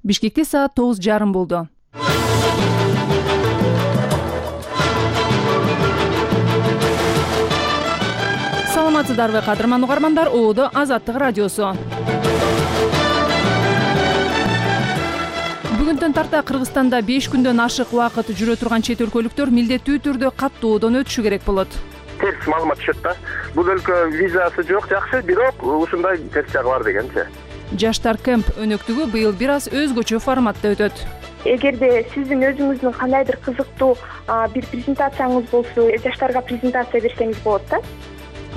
Бишкекте саат 9:30 болду. Саламатсыздарбы кадырман угармандар, оодо Азаттык радиосу. Бүгүндөн тарта Кыргызстанда 5 күндөн ашык убакыт жүрө турган чет өлкөлүктөр милдеттүү түрдө каттоодон өтүшү керек болот. Терс маалымат түшөт да. Бул өлкө визасы жок, жакшы, бирок ушундай терс жагы бар дегенчи. Жаштар кемп өнөктүгү быйыл бир аз өзгөчө форматта өтөт. Эгерде сиздин өзүңүздүн кандайдыр кызыктуу бир презентацияңыз болсо, жаштарга презентация берсеңиз болот да.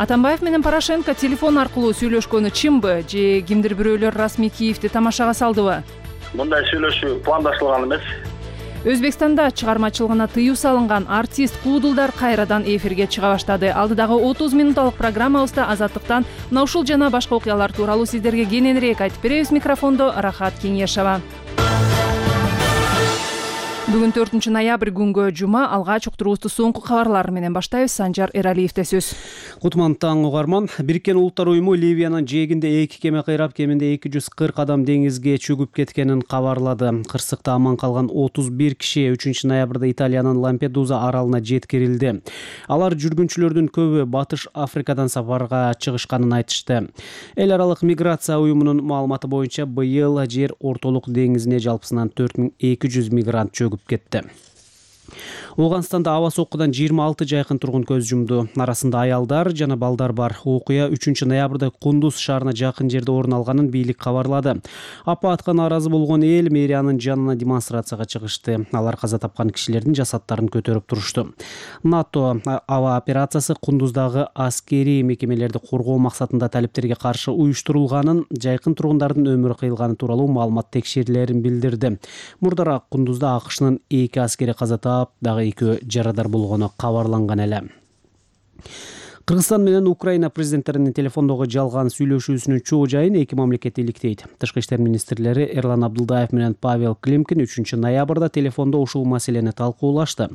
Атамбаев менен Порошенко телефон аркылуу сүйлөшкөнү чынбы же кимдир бирөөлөр расмий Киевди тамашага салдыбы? Мындай сүйлөшүү пландаштырылган эмес. Өзбекстанда чыгармачылыгына тыюу салынган артист Куудулдар кайрадан эфирге чыга баштады. Алдыдагы 30 минутталык программабызда Азаттыктан мына ушул жана башка окуялар тууралуу сиздерге кененирээк айтып беребиз. Микрофондо Рахат Кеңешова. Бүгүн 4 ноябрь күнгө жума. Алгач уктуруубузду соңку кабарлар менен баштайбыз. Санжар Эралиевде сөз. Кутман таң угарман. Бириккен Улуттар уюму Ливиянын жээгинде 2 кеме кыйрап, кеминде 240 адам деңизге чөгүп кеткенин кабарлады. Кырсыкта аман калган 31 киши 3 ноябрда Италиянын Лампедуза аралына жеткирилди. Алар жүргүнчүлөрдүн көбү Батыш Африкадан сапарга чыгышканын айтышты. Эл аралык миграция уюмунун маалыматы боюнча быйыл жер ортолук деңизине жалпысынан 4200 мигрант чөгүп кетти. Ооганстанда аба соккудан 26 жайкын тургун көз жумду. Арасында аялдар жана балдар бар. Окуя 3 ноябрда Кундуз шаарына жакын жерде орун алганын бийлик кабарлады. Апатка нааразы болгон эл мэриянын жанына демонстрацияга чыгышты. Алар каза тапкан кишилердин жасаттарын көтөрүп турушту. НАТО аба операциясы Кундуздагы аскерий мекемелерди коргоо максатында талептерге каршы уюштурулганын, жайкын тургундардын өмүрү кыйылганы тууралуу маалымат текшерилерин билдирди. Мурдараак Кундузда АКШнын 2 аскери каза таап, дагы 2 жарадар болгону кабарланган эле. Кыргызстан менен Украина президенттеринин телефондогу жалган сүйлөшүүсүнүн чоо жайын эки мамлекет иликтейт. Тышкы иштер министрлери Эрлан Абдулдаев менен Павел Климкин 3 ноябрда телефондо ушул маселени талкуулашты.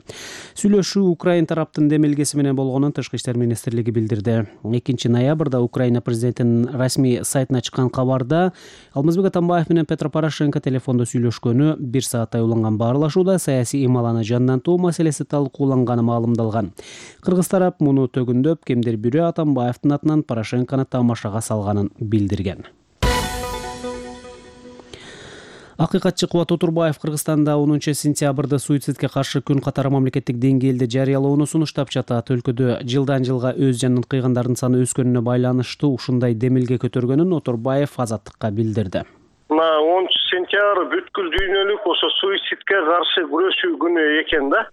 Сүйлөшүү Украин тараптын демилгеси менен болгонун Тышкы иштер министрлиги билдирди. 2 ноябрда Украина президентинин расмий сайтына чыккан кабарда Алмазбек Атамбаев менен Петро Порошенко телефондо сүйлөшкөнү, 1 сааттай уланган баарлашууда саясий ималаны жандантуу маселеси талкууланганы маалымдалган. Кыргыз тарап муну төгүндөп, кимдир бирөө Атамбаевдин атынан Порошенкону тамашага салганын билдирген. Акыйкатчы Кубат Отурбаев Кыргызстанда 10 сентябрда суицидке каршы күн катары мамлекеттик деңгээлде жарыялоону сунуштап жатат. Өлкөдө жылдан жылга өз жанын кыйгандардын саны өскөнүнө байланыштуу ушундай демилге көтөргөнүн Отурбаев Азаттыкка билдирди. 10 сентябрь бүткүл дүйнөлүк ошо суицидке каршы күрөшүү күнү экен да.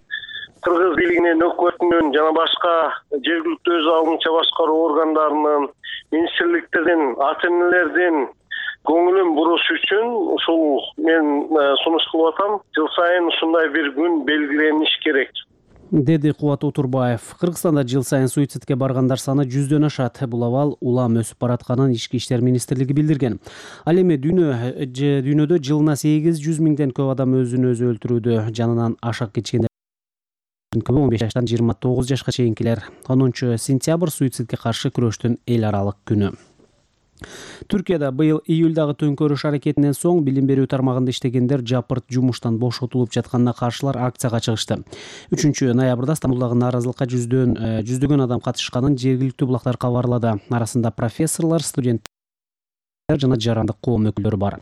Кыргыз бийлигинин, өкмөтүнүн жана башка жергиликтүү өз алдынча башкаруу органдарынын, министрликтердин, ата-энелердин көңүлүн буруш үчүн ушул мен сунуш кылып атам. Жыл сайын ушундай бир күн белгилениш керек, деди Кубат Отурбаев. Кыргызстанда жыл сайын суицидке баргандар саны 100дөн ашат. Бул абал улам өсүп баратканын Ички иштер министрлиги билдирген. Ал эми дүйнөдө жылына 800 миңден көп адам өзүн өзү өлтүрүүдө. Жанынан ашак кечкендер 15 жаштан 29 жашка чейинкилер. 10 сентябрь суицидке каршы күрөштүн эл аралык күнү. Түркияда быйыл июлдагы төңкөрүш аракетинен соң билим берүү тармагында иштегендер жапырт жумуштан бошотулуп жатканына каршылар акцияга чыгышты. 3 ноябрда Стамбулдагы нааразылыкка жүздөгөн адам катышканын жергиликтүү булактар кабарлады. Арасында профессорлор, студенттер жана жарандык коом өкүлдөрү бар.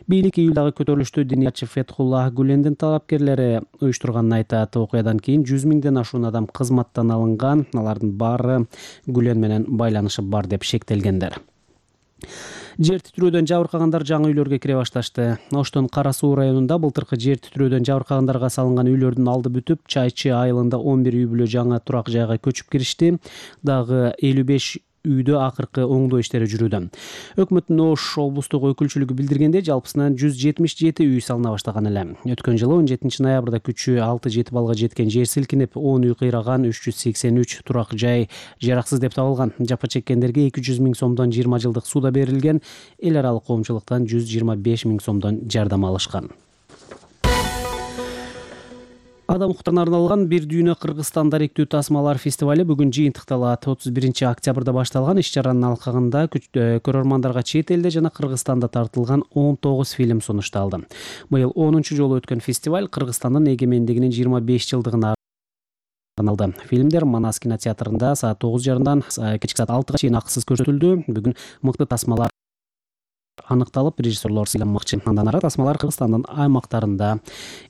Бийлик июлдагы көтөрүлүштү диниятчы Фетхуллах Гүлендин талапкерлери уюштурганын айтат. Окуядан кийин 100 миңден ашуун адам кызматтан алынган. Алардын баары Гүлен менен байланышы бар деп шектелгендер. Жер титирөөдөн жабыркагандар жаңы үйлөргө кире башташты. Оштун Кара Суу районунда былтыркы жер титирөөдөн жабыркагандарга салынган үйлөрдүн алды бүтүп, Чайчы айылында 11 үй бүлө жаңы турак жайга көчүп киришти. Дагы 55 үйдө акыркы оңдоо иштери жүрүүдө. Өкмөттүн Ош облустук өкүлчүлүгү билдиргендей, жалпысынан 177 үй салына баштаган эле. Өткөн жылы 17 ноябрда күчү 6-7 балга жеткен жер силкинип, 10 үй кыйраган, 383 турак жай жараксыз деп табылган. Жапа чеккендерге 200 миң сомдон 20 жылдык сууда берилген. Эл аралык коомчулуктан 125 миң сомдон жардам алышкан. Адам укуктарына арналган бир дүйнө Кыргызстан даректүү тасмалар фестивале бүгүн жыйынтыкталат. 31-октябрда башталган иш-чаранын алкагында көрөрмандарга чет элде жана Кыргызстанда тартылган 19 фильм сунушталды. Быйыл 10-чу жолу өткөн фестиваль Кыргызстандын эгемендигинин 25 жылдыгына арналды. Фильмдер Манас кинотеатрында саат 9:30дан кечки саат 6-га чейин акысыз көрсөтүлдү. Бүгүн мыкты тасмалар аныкталып, режиссерлор сыйланмакчы. Андан ары тасмалар Кыргызстандын аймактарында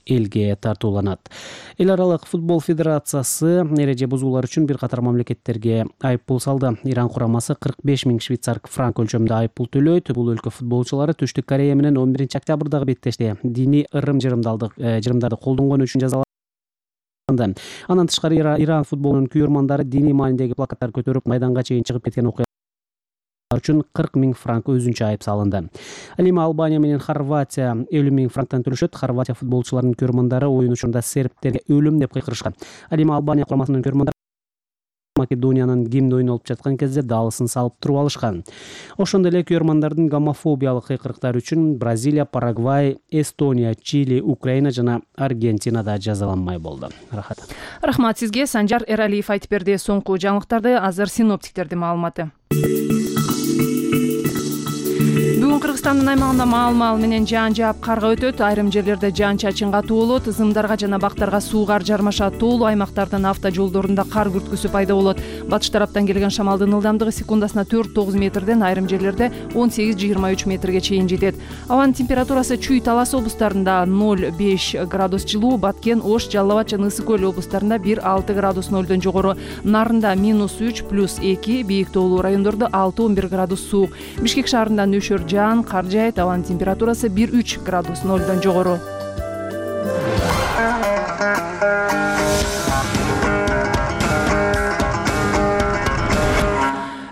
элге тартууланат. Эл аралык футбол федерациясы эреже бузуулар үчүн бир катар мамлекеттерге айыппул салды. Иран курамасы 45 000 швейцар франк өлчөмүндө айыппул төлөйт. Бул өлкө футболчулары Түштүк Корея менен 11-октябрдагы беттеште диний ырым-жырымдарды колдонгону үчүн жазаланды. Андан тышкары Иран футболунун күйөрмандары диний маанидеги плакаттар көтөрүп майданга чейин чыгып кеткен окуя үчүн 40 000 франк өзүнчө айып салынды. Ал эми Албания менен Хорватия 50 000 франктан төлөшөт. Хорватия футболчуларынын көрөрмандары оюн учурунда сербтерге өлүм деп кыйкырышкан. Ал эми Албания курамасынын көрөрмандары Македониянын гимни ойнолуп жаткан кезде даалысын салып туруп алышкан. Ошондой эле көрөрмандардын гомофобиялык кыйкырыктары үчүн Бразилия, Парагвай, Эстония, Чили, Украина жана Аргентинада жазаланмай болду. Рахмат сизге. Санжар Эралиев айтып берди. Соңку жаңылыктарды азыр синоптиктердин маалыматы. Бүгүн Кыргызстандын аймагында маал менен жаан жаап карга өтөт. Айрым жерлерде жаан-чачын катуу болот. Зымдарга жана бактарга суугар жармашат. Тоолуу аймактардын автожолдорунда кар күрткүсү пайда болот. Батыш тараптан келген шамалдын ылдамдыгы секундасына 4-9 метрден айрым жерлерде 18-23 метрге чейин жетет. Абанын температурасы Чүй, Талас облустарында 0-5 градус жылуу, Баткен, Ош, Жалал Абад жана Ысык Көл облустарында 1-6 градус нөлдөн жогору, Нарында -3 +2, бийик тоолуу райондордо 6-11 градус суук. Бишкек шаарында нөшөр жаан, кар жаайт. Абанын температурасы 1-3 градус нөлдөн жогору.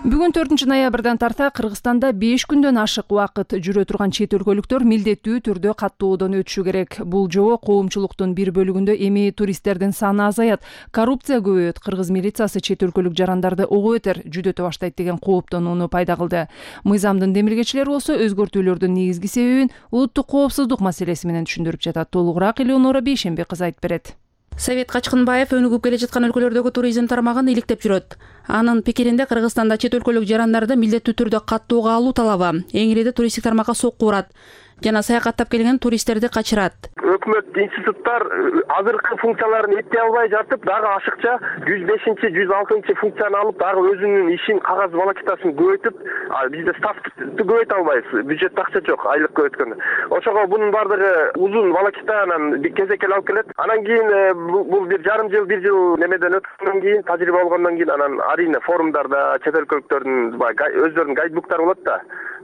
Бүгүн 4-ноябрдан тарта Кыргызстанда 5 күндөн ашык убакыт жүрө турган чет өлкөлүктөр милдеттүү түрдө каттоодон өтүшү керек. Бул жобо коомчулуктун бир бөлүгүндө эми туристтердин саны азаят, коррупция көбөйөт, кыргыз милициясы чет өлкөлүк жарандарды ого бетер жүдөтө баштайт деген кооптонууну пайда кылды. Мыйзамдын демилгечилери болсо өзгөртүүлөрдүн негизги себебин улуттук коопсуздук маселеси менен түшүндүрүп жатат. Толугураак Элеонора Бейшембек кызы айтып берет. Совет Качкынбаев өнүгүп келе жаткан өлкөлөрдөгү туризм тармагын иликтеп жүрөт. Анын пикиринде Кыргызстанда чет өлкөлүк жарандарды милдеттүү түрдө каттоого алуу талабы эң ириде туристтик тармакка сокку урат жана саякаттап келген туристтерди качырат. Өкмөт институттар азыркы функцияларын эптей албай жатып, дагы ашыкча 105-ci, 106-cı функцияны алып, дагы өзүнүн ишин, кагаз волокитасын көбөйтүп, бизде ставты көбөйтө албайбыз. Бюджетте акча жок, айлык көбөйткөндө. Ошого бунун бардыгы узун волокитанан кезекел алып келет. Анан кийин бул бир жарым жыл, бир жыл немеден өткөндөн кийин, тажрыйба болгондон кийин анан арийне форумдарда чет өлкөлүктөрдүн өздөрүнүн гайдбуктары болот да.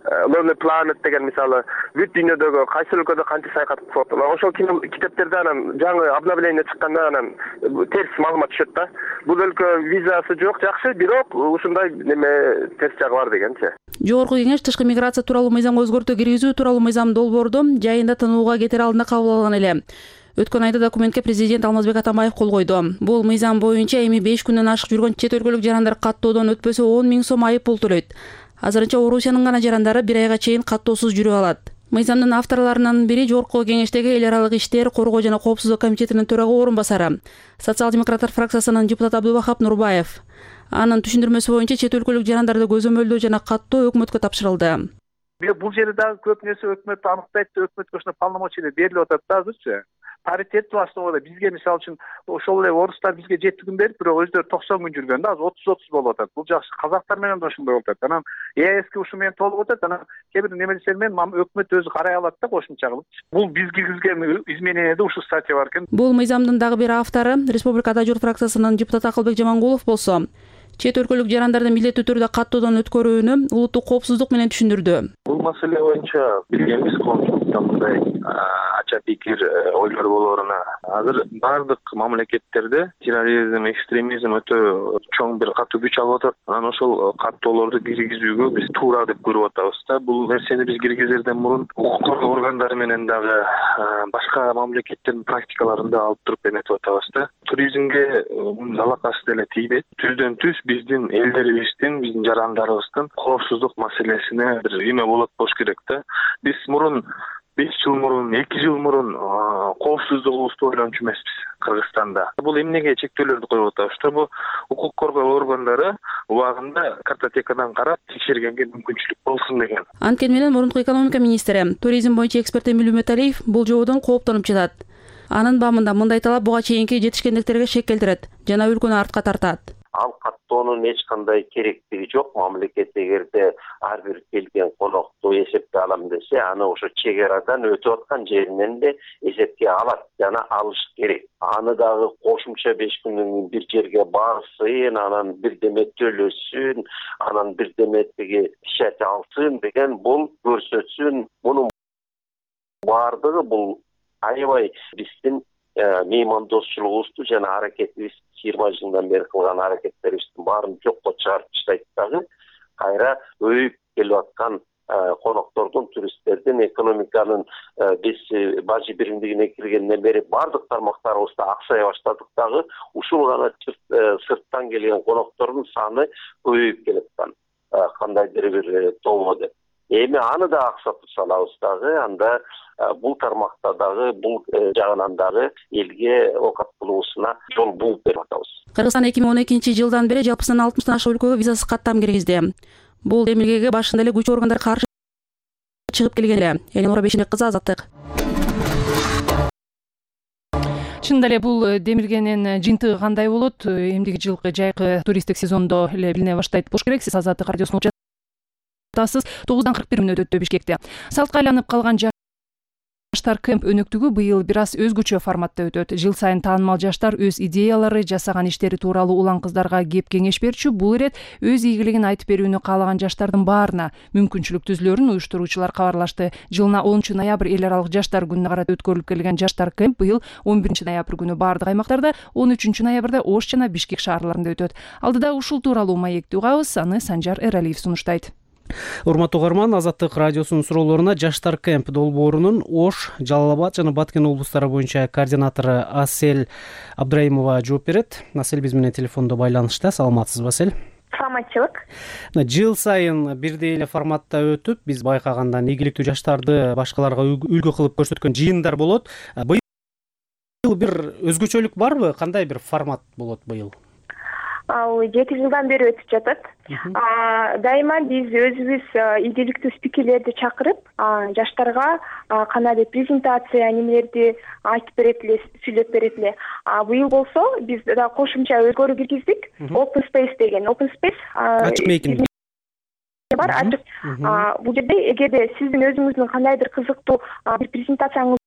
Lonely Planet деген мисалы бүт дүйнөдөгү кайсы өлкөдө канча саякат кылып атат. Ошол китептерде анан жаңы обновление чыкканда анан терс маалымат түшөт да. Бул өлкө визасы жок, жакшы, бирок ушундай неме терс жагы бар дегенчи. Жогорку кеңеш тышкы миграция тууралуу мыйзамга өзгөртүү киргизүү тууралуу мыйзам долбоорду жайында тынууга кетер алдында кабыл алган эле. Өткөн айда документке президент Алмазбек Атамбаев кол койду. Бул мыйзам боюнча эми 5 күндөн ашык жүргөн чет өлкөлүк жарандар каттоодон өтпөсө 10 000 сом айып пул төлөйт. Азырынча Орусиянын гана жарандары 1 айга чейин каттоосуз жүрө алат. Мыйзамдын авторлорунун бири Жогорку кеңештеги эл аралык иштер, коргоо жана коопсуздук комитетинин төрага орун басары, социал-демократтар фракциясынын депутаты Абдубахап Нурбаев. Анын түшүндүрмөсү боюнча чет өлкөлүк жарандарды көзөмөлдөө жана каттоо өкмөткө тапшырылды. Бул жерде дагы көп нерсе өкмөт аныктайт, өкмөткө ошондой полномочия берилип атат да азырчы. Паритет баштоого бизге мисалы үчүн ошол эле орустар бизге 7 күн берип, бирок өздөрү 90 күн жүргөн да, азыр 30 болуп атат. Бул жакшы. Казактар менен да ошондой болуп атат. Анан ЕСке ушу менен толуп атат. Анан кээ бир немелер менен өкмөт өзү карай алат да кошумча кылып. Бул биз киргизген изменениеде ушу статья бар экен. Бул мыйзамдын дагы бир автору Республикада Журт фракциясынын депутаты Акылбек Жамангулов болсо, чет өлкөлүк жарандарды милдеттүү түрдө каттоодон өткөрүүнү улуттук коопсуздук менен түшүндүрдү. Бул маселе боюнча билгенбиз, коомчулукта мындай ача пикир ойлор болоруна. Азыр бардык мамлекеттерде терроризм, экстремизм өтө чоң бир катуу күч алып атат. Анан ошол каттоолорду киргизүүгө биз туура деп көрүп атабыз да. Бул нерсени биз киргизерден мурун укук коргоо органдары менен дагы башка мамлекеттердин практикаларында алып туруп эметип атабыз да. Туризмге алакасы деле тийбейт. Түздөн түз биздин элдерибиздин, биздин жарандарыбыздын коопсуздук маселесине бир эме болот болуш керек да. Биз мурун 5 жыл мурун 2 жыл мурун коопсуздугубузду ойлончу эмеспиз Кыргызстанда. Бул эмнеге чектөөлөрдү коюп атабыз? Чтобы укук коргоо органдары убагында картотекадан карап текшергенге мүмкүнчүлүк болсун деген. Анткени менен мурунку экономика министри, туризм боюнча эксперт Эмиль Үмөталиев бул жободон кооптонуп жатат. Анын баамында мындай талап буга чейинки жетишкендиктерге шек келтирет жана өлкөнү артка тартат. Ал каттоонун эч кандай керектиги жок. Мамлекет эгерде ар бир келген конокту эсепке алам десе, аны ошо чек арадан өтүп аткан жеринен эле эсепке алат жана алыш керек. Аны дагы кошумча 5 күндөн бир жерге барсын, анан бирдеме төлөсүн, анан бирдеме тиги печать алсын деген бул көрсөтсүн. Мунун баардыгы бул аябай биздин меймандосчулугубузду жана аракетибиз 20 жылдан бери кылган аракеттерибиздин баарын жокко чыгарып таштайт дагы. Кайра өйүп келип аткан коноктордун, туристтердин, экономиканын биз бажы биримдигине киргенден бери баардык тармактарыбызда аксая баштадык дагы. Ушул гана сырттан келген коноктордун саны көбөйүп келаткан. Кандайдыр бир тобо деп. Эми аны да аксатып салабыз дагы, анда бул тармакта дагы, бул жагынан дагы элге окат кылуусуна жол бууп берип атабыз. Кыргызстан 2012-жылдан бери жалпысынан 60 ашык өлкөгө визасыз каттам киргизди. Бул демилгеге башында эле күч органдары каршы чыгып келген эле. Элинора Бешенбек кызы, Азаттык. Чындап эле бул демилгенин жыйынтыгы кандай болот? Эмдиги жылкы жайкы туристтик сезондо эле билине баштайт болуш керек. Сиз Азаттык радиосун угуп жатасыз. 9:41 өтөттү Бишкекте. Салтка айланып калган жаштар кемп өнөктүгү быйыл бир аз өзгөчө форматта өтөт. Жыл сайын таанымал жаштар өз идеялары, жасаган иштери тууралуу улан кыздарга кеп кеңеш берчү. Бул ирет өз ийгилигин айтып берүүнү каалаган жаштардын баарына мүмкүнчүлүк түзүлөрүн уюштуруучулар кабарлашты. Жылына 10-ноябрь эл аралык жаштар күнүнө карата өткөрүлүп келген жаштар кемп быйыл 11-ноябрь күнү баардык аймактарда, 13-ноябрда Ош жана Бишкек шаарларында өтөт. Алдыда ушул тууралуу маекти угабыз, аны Санжар Эралиев сунуштайт. Урматтуу угарман, Азаттык радиосунун суроолоруна жаштар кемп долбоорунун Ош, Жалал Абад жана Баткен облустары боюнча координатору Асель Абдраимова жооп берет. Асель биз менен телефондо байланышта. Саламатсызбы, Асель? Саламатчылык. Жыл сайын бирдей эле форматта өтүп, биз байкагандан ийгиликтүү жаштарды башкаларга үлгү кылып көрсөткөн жыйындар болот. Быйыл бир өзгөчөлүк барбы? Кандай бир формат болот быйыл? Ал 7 жылдан бери өтүп жатат. Дайыма биз өзүбүз ийгиликтүү спикерлерди чакырып, жаштарга кандайдыр презентация немелерди айтып берет эле, сүйлөп берет эле. Быйыл болсо биз да кошумча өзгөрүү киргиздик. Open Space деген. Open Space ачык мейкиндик бар, ачык. Бул жерде эгерде сиздин өзүңүздүн кандайдыр кызыктуу бир презентацияңыз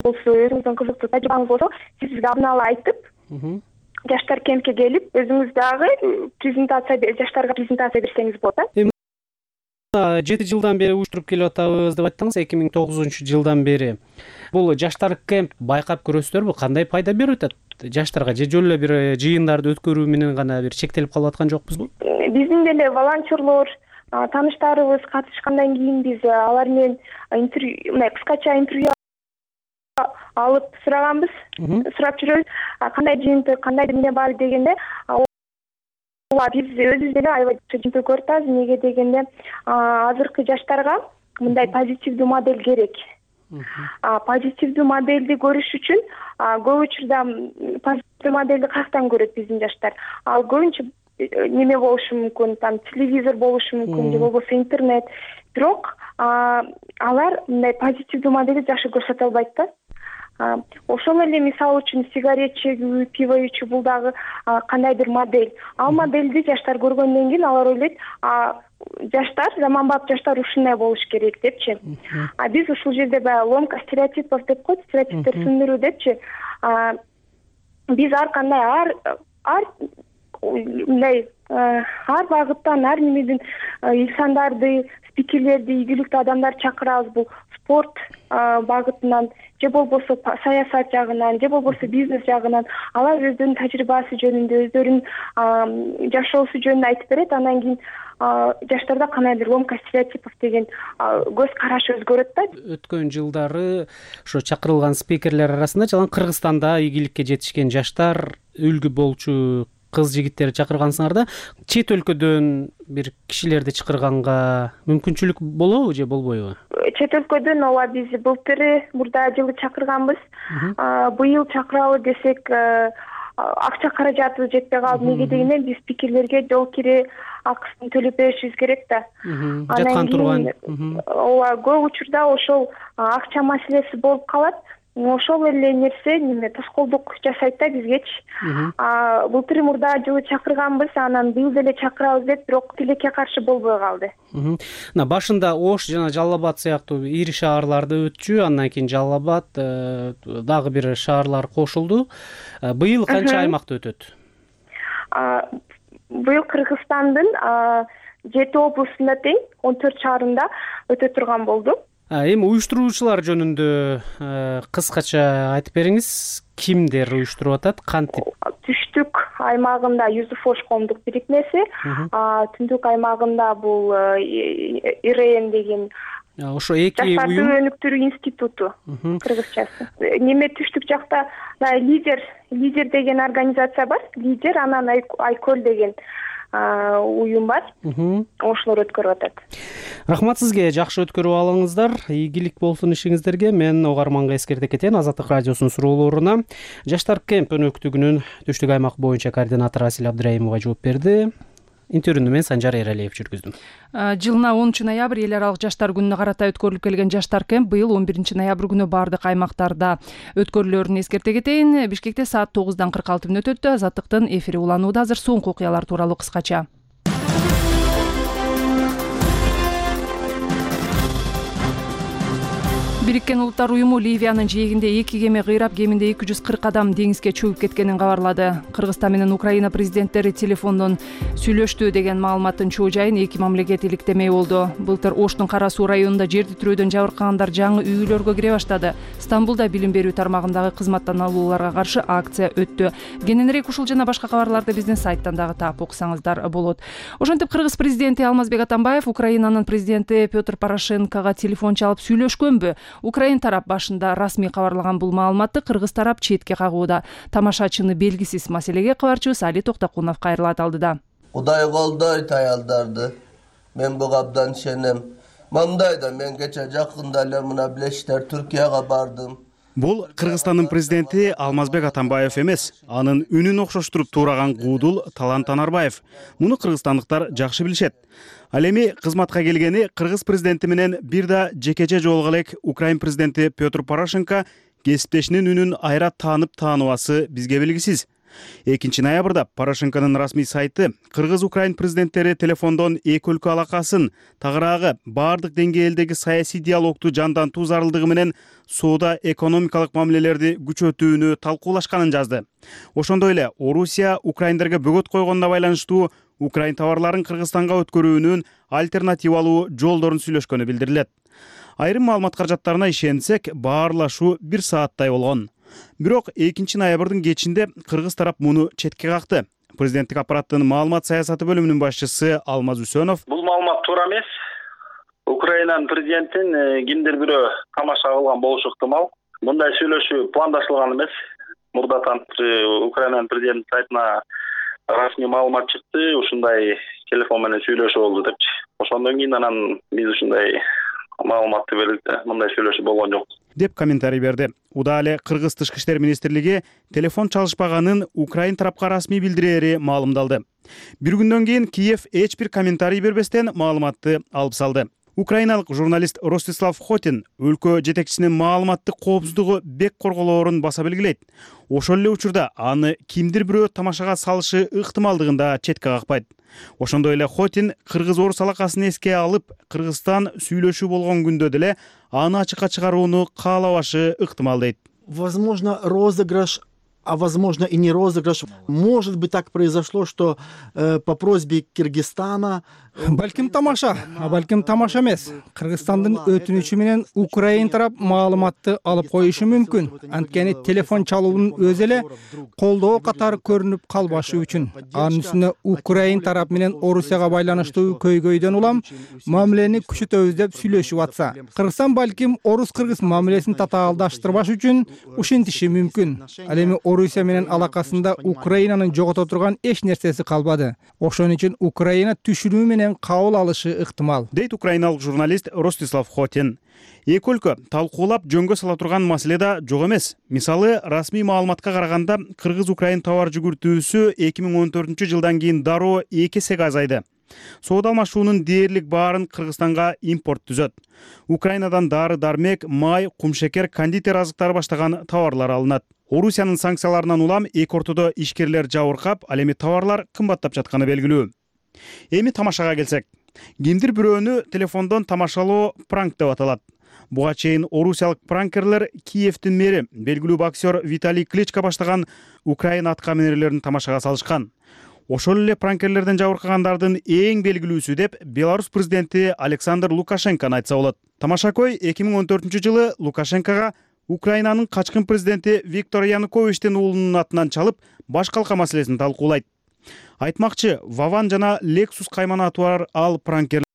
болсо, өзүңүздүн кызыктуу тажрыйбаңыз болсо, сиз бизге алдын ала айтып, жаштар кемпке келип, өзүңүз дагы жаштарга презентация берсеңиз болот. 7 жылдан бери уюштуруп келип атабыз деп айттыңыз, 2009-жылдан бери. Бул жаштар кемп байкап көрөсүздарбы? Кандай пайда берип атат жаштарга? Же жөн эле бир жыйындарды өткөрүү менен гана бир чектелип калып аткан жокпузбу? Биздин деле волонтерлор, тааныштарыбыз катышкандан кийин биз алар менен кыскача интервью алып сураганбыз, сурап жүрөбүз. Кандай жыйынтык, кандай эмне бар дегенде, биз өзүбүз деле аябай жыйынтык көрүп атабыз. Эмнеге дегенде, азыркы жаштарга мындай позитивдүү модель керек. Позитивдүү модельди көрүш үчүн көп учурда позитивдүү модельди каяктан көрөт биздин жаштар? Ал көбүнчө неме болушу мүмкүн, там телевизор болушу мүмкүн, же болбосо интернет. Бирок алар мындай позитивдүү модельди жакшы көрсөтө албайт да. Ошол эле мисалы үчүн сигарет чегүү, пиво ичүү бул дагы кандайдыр модель. Ал модельди жаштар көргөндөн кийин алар ойлойт, жаштар, заманбап жаштар ушундай болуш керек депчи. Биз ушул жерде баягы ломка стереотипов деп коет, стереотиптер сүндүрүү депчи. Биз ар кандай ар багыттан, ар немеден инсандарды, спикерлерди, ийгиликтүү адамдарды чакырабыз. Бул спорт багытынан, же болбосо саясат жагынан, же болбосо бизнес жагынан алар өздөрүнүн тажрыйбасы жөнүндө, өздөрүнүн жашоосу жөнүндө айтып берет. Андан кийин жаштарда кандайдыр ломка стереотипов деген көз караш өзгөрөт да. Өткөн жылдары ошо чакырылган спикерлер арасында жалаң Кыргызстанда ийгиликке жетишкен жаштар үлгү болчу кыз жигиттерди чакыргансыңар да. Чет өлкөдөн бир кишилерди чакырганга мүмкүнчүлүк болобу же болбойбу? Чет өлкөдөн ооба биз мурда жылы чакырганбыз. Быйыл чакыралы десек акча каражатыбыз жетпей калды. Эмне дегенде биз спикерлерге жол кире акысын төлөп беришибиз керек да. Жаткан турган. Ооба, көп учурда ошол акча маселеси болуп калат. Ошол эле нерсе тоскоолдук жасайт да бизгечи. Былтыр мурда жылы чакырганбыз, анан быйыл деле чакырабыз деп, бирок тилекке каршы болбой калды. Башында Ош жана Жалал Абад сыяктуу ири шаарларда өтчү, андан кийин Жалал Абад, дагы бир шаарлар кошулду. Быйыл канча аймакта өтөт? Быйыл Кыргызстандын 7 облусунда тең 14 шаарында өтө турган болду. Эми уюштуруучулар жөнүндө кыскача айтып бериңиз. Кимдер уюштуруп атат? Кантип? Түштүк аймагында Юзуф Ош коомдук бирикмеси, түндүк аймагында бул ИРН деген ошо эки жаштарды өнүктүрүү институту кыргызчасы. Түштүк жакта лидер деген организация бар. Лидер, анан Айкөл деген уюм бар. Ошолор өткөрүп атат. Рахмат сизге, жакшы өткөрүп алыңыздар. Ийгилик болсун ишиңиздерге. Мен угарманга эскерте кетейин. Азаттык радиосунун суроолоруна Жаштар кемп өнөктүгүнүн түштүк аймак боюнча координатору Асил Абдыраимова жооп берди. Интервьюну мен Санжар Эралиев жүргүздүм. Жылына 10 ноябрь эл аралык жаштар күнүнө карата өткөрүлүп келген Жаштар кемп быйыл 11 ноябрь күнү бардык аймактарда өткөрүлөрүн эскерте кетейин. Бишкекте саат 9:46 өтөт. Азаттыктын эфири уланууда. Азыр соңку окуялар тууралуу кыскача. Бириккен Улуттар уюму Ливиянын жээгинде 2 кеме кыйрап, кеминде 240 адам деңизге чөгүп кеткенин кабарлады. Кыргызстан менен Украина президенттери телефондон сүйлөштү деген маалыматтын чоо жайын эки мамлекет иликтемей болду. Былтыр Оштун Кара Суу районунда жерди тирөөдөн жабыркагандар жаңы үйлөргө кире баштады. Стамбулда билим берүү тармагындагы кызматтан алууларга каршы акция өттү. Кененирээк ушул жана башка кабарларды биздин сайттан дагы таап окусаңыздар болот. Ошентип Кыргыз президенти Алмазбек Атамбаев Украинанын президенти Петр Порошенкого телефон чалып сүйлөшкөнбү? Украин тарап башында расмий кабарлаган бул маалыматты кыргыз тарап четке кагууда. Тамашачыны белгисиз маселеге кабарчыбыз Али Токтокунов кайрылат алдыда. Кудай колдойт аялдарды. Мен буга абдан ишенем. Мындайда мен кече жакында эле мына билесиздер Түркияга бардым. Бул Кыргызстандын президенти Алмазбек Атамбаев эмес, анын үнүн окшоштуруп туураган куудул Талант Анарбаев. Муну кыргызстандыктар жакшы билишет. Ал эми кызматка келгени кыргыз президенти менен бир да жекече жолуга элек Украин президенти Петр Порошенко кесиптешинин үнүн айра тааныбасы бизге белгисиз. 2 ноябрда Порошенконун расмий сайты Кыргыз-Украин президенттери телефондон эки өлкө алакасын, тагыраагы бардык деңгээлдеги саясий диалогду жандантуу зарылдыгы менен соода экономикалык мамилелерди күчөтүүнү талкуулашканын жазды. Ошондой эле Орусия украиндерге бөгөт койгонуна байланыштуу Украин товарларын Кыргызстанга өткөрүүнүн альтернативалуу жолдорун сүйлөшкөнү билдирилет. Айрым маалымат каражаттарына ишенсек, баарлашуу 1 сааттай болгон. Бирок 2 ноябрдын кечинде кыргыз тарап муну четке какты. Президенттик аппараттын маалымат саясаты бөлүмүнүн башчысы Алмаз Үсөнов: Бул маалымат туура эмес. Украинанын президентин кимдир бирөө тамаша кылган болушу ыктымал. Мындай сүйлөшүү пландаштырылган эмес. Мурдатан Украинанын президенттин сайтына расмий маалымат чыкты, ушундай телефон менен сүйлөшүү болду депчи. Ошондон кийин анан биз ушундай маалыматты бердик, мындай сүйлөшүү болгон жок деп комментарий берди. Уда эле Кыргыз Тышкы иштер министрлиги телефон чалышпаганын Украин тарапка расмий билдирери маалымдалды. Бир күндөн кийин Киев эч бир комментарий бербестен маалыматты алып салды. Украиналык журналист Ростислав Хотин өлкө жетекчисинин маалыматтык коопсуздугу бек корголоорун баса белгилейт. Ошол эле учурда аны кимдир бирөө тамашага салышы ыктымалдыгын да четке какпайт. Ошондой эле Хотин кыргыз-орус алакасын эске алып, Кыргызстан сүйлөшүү болгон күндө деле аны ачыкка чыгарууну каалабашы ыктымал дейт. Возможно, розыгрыш, а возможно и не розыгрыш. Может быть, так произошло, что по просьбе Кыргызстана... Балким тамаша, а балким тамаша эмес. Кыргызстандын өтүнүчү менен Украин тарап маалыматты алып коюшу мүмкүн. Анткени телефон чалуунун өзү эле колдоо катары көрүнүп калбашы үчүн. Анын үстүнө Украин тарап менен Орусияга байланыштуу көйгөйдөн улам мамилени күчөтөбүз деп сүйлөшүп атса, Кыргызстан балким орус-кыргыз мамилесин татаалдаштырбаш үчүн ушинтиши мүмкүн. Ал эми Орусия менен алакасында Украинанын жогото турган эч нерсеси калбады. Ошон үчүн Украина түшүнүү менен кабыл алышы ыктымал, дейт украиналык журналист Ростислав Хотин. Эки өлкө талкуулап жөнгө сала турган маселе да жок эмес. Мисалы, расмий маалыматка караганда Кыргыз-Украин товар жүгүртүүсү 2014-жылдан кийин дароо 2 эсеге азайды. Соода алмашуунун дээрлик баарын Кыргызстанга импорт түзөт. Украинадан дары-дармек, май, кумшекер, кондитер азыктары баштаган товарлар алынат. Орусиянын санкцияларынан улам эки ортодо ишкерлер жабыркап, ал эми товарлар кымбаттап жатканы белгилүү. Эми тамашага келсек, кимдир бирөөнү телефондон тамашалоо пранк деп аталат. Буга чейин орусиялык пранкерлер Киевдин мэри, белгилүү боксер Виталий Кличко баштаган Украина аткаминерлерин тамашага салышкан. Ошол эле пранкерлерден жабыркагандардын эң белгилүүсү деп Беларусь президенти Александр Лукашенкону айтса болот. Тамашакой 2014-жылы Лукашенкого Украинанын качкын президенти Виктор Януковичтин уулунун атынан чалып, баш калка маселесин талкуулайт. Айтмакчы, Ваван жана Lexus кайманаты бар ал пранкерлер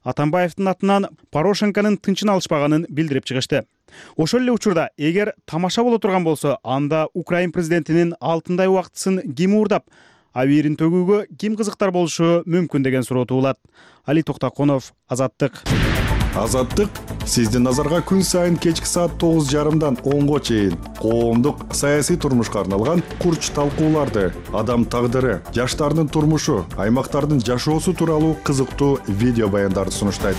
Атамбаевдин атынан Порошенконун тынчын алышпаганын билдирип чыгышты. Ошол эле учурда, эгер тамаша боло турган болсо, анда Украин президентинин алтындай убактысын ким уурдап, абийирин төгүүгө ким кызыктар болушу мүмкүн деген суроо туулат. Али Токтаконов, Азаттык. Азаттык сиздин назарга күн сайын кечки саат 9:30-дан 10-го чейин коомдук саясий турмушка арналган курч талкууларды, адам тагдыры, жаштардын турмушу, аймактардын жашоосу тууралуу кызыктуу видео баяндарды сунуштайт.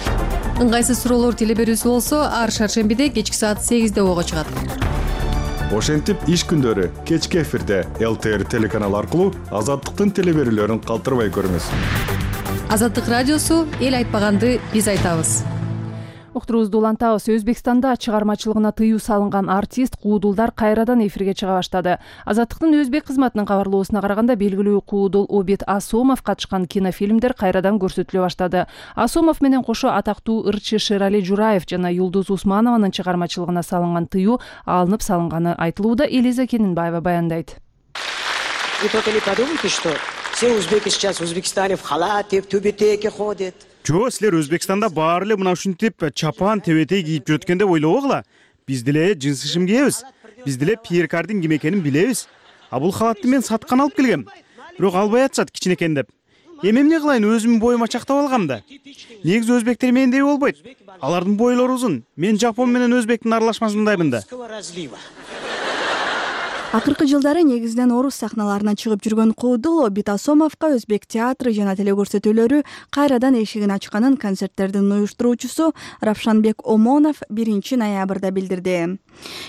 Ыңгайсыз суроолор телеберүүсү болсо, ар шаршембиде кечки саат 8-де ого чыгат. Ошентип иш күндөрү кечки эфирде ЛТР телеканалы аркылуу Азаттыктын телеберүүлөрүн калтырбай көрүңүз. Азаттык радиосу эл айтпаганды биз айтабыз. Уктуруубузду улантабыз. Өзбекстанда чыгармачылыгына тыюу салынган артист Куудулдар кайрадан эфирге чыга баштады. Азаттыктын өзбек кызматынын кабарлоосуна караганда, белгилүү Куудул Обид Асомов катышкан кинофильмдер кайрадан көрсөтүлө баштады. Асомов менен кошо атактуу ырчы Шерали Жураев жана Юлдуз Усманованын чыгармачылыгына салынган тыюу алынып салынганы айтылууда. Элиза Кенинбаева баяндайт. Вы только не подумайте, что все узбеки сейчас в Узбекистане в халате, в тюбетейке ходят. Жо, силер Өзбекстанда баары эле мына ушинтип чапан, тебетей кийип жүрөт экен деп ойлобогула. Биз деле жынсы шим кийебиз. Биз деле Пьер Кардин ким экенин билебиз. А бул халатты мен саткан алып келгем. Бирок албай атышат кичинекейин деп. Эми эмне кылайын, өзүмдүн боюма чактап алгам да. Негизи өзбектер мендей болбойт. Алардын бойлору узун. Мен жапон менен өзбектин аралашмасындаймын да. Акыркы жылдары негизинен орус сахналарына чыгып жүргөн Куудул Обид Асомовго өзбек театры жана телекөрсөтүүлөрү кайрадан эшигин ачканын концерттердин уюштуруучусу Равшанбек Омонов 1-ноябрда билдирди.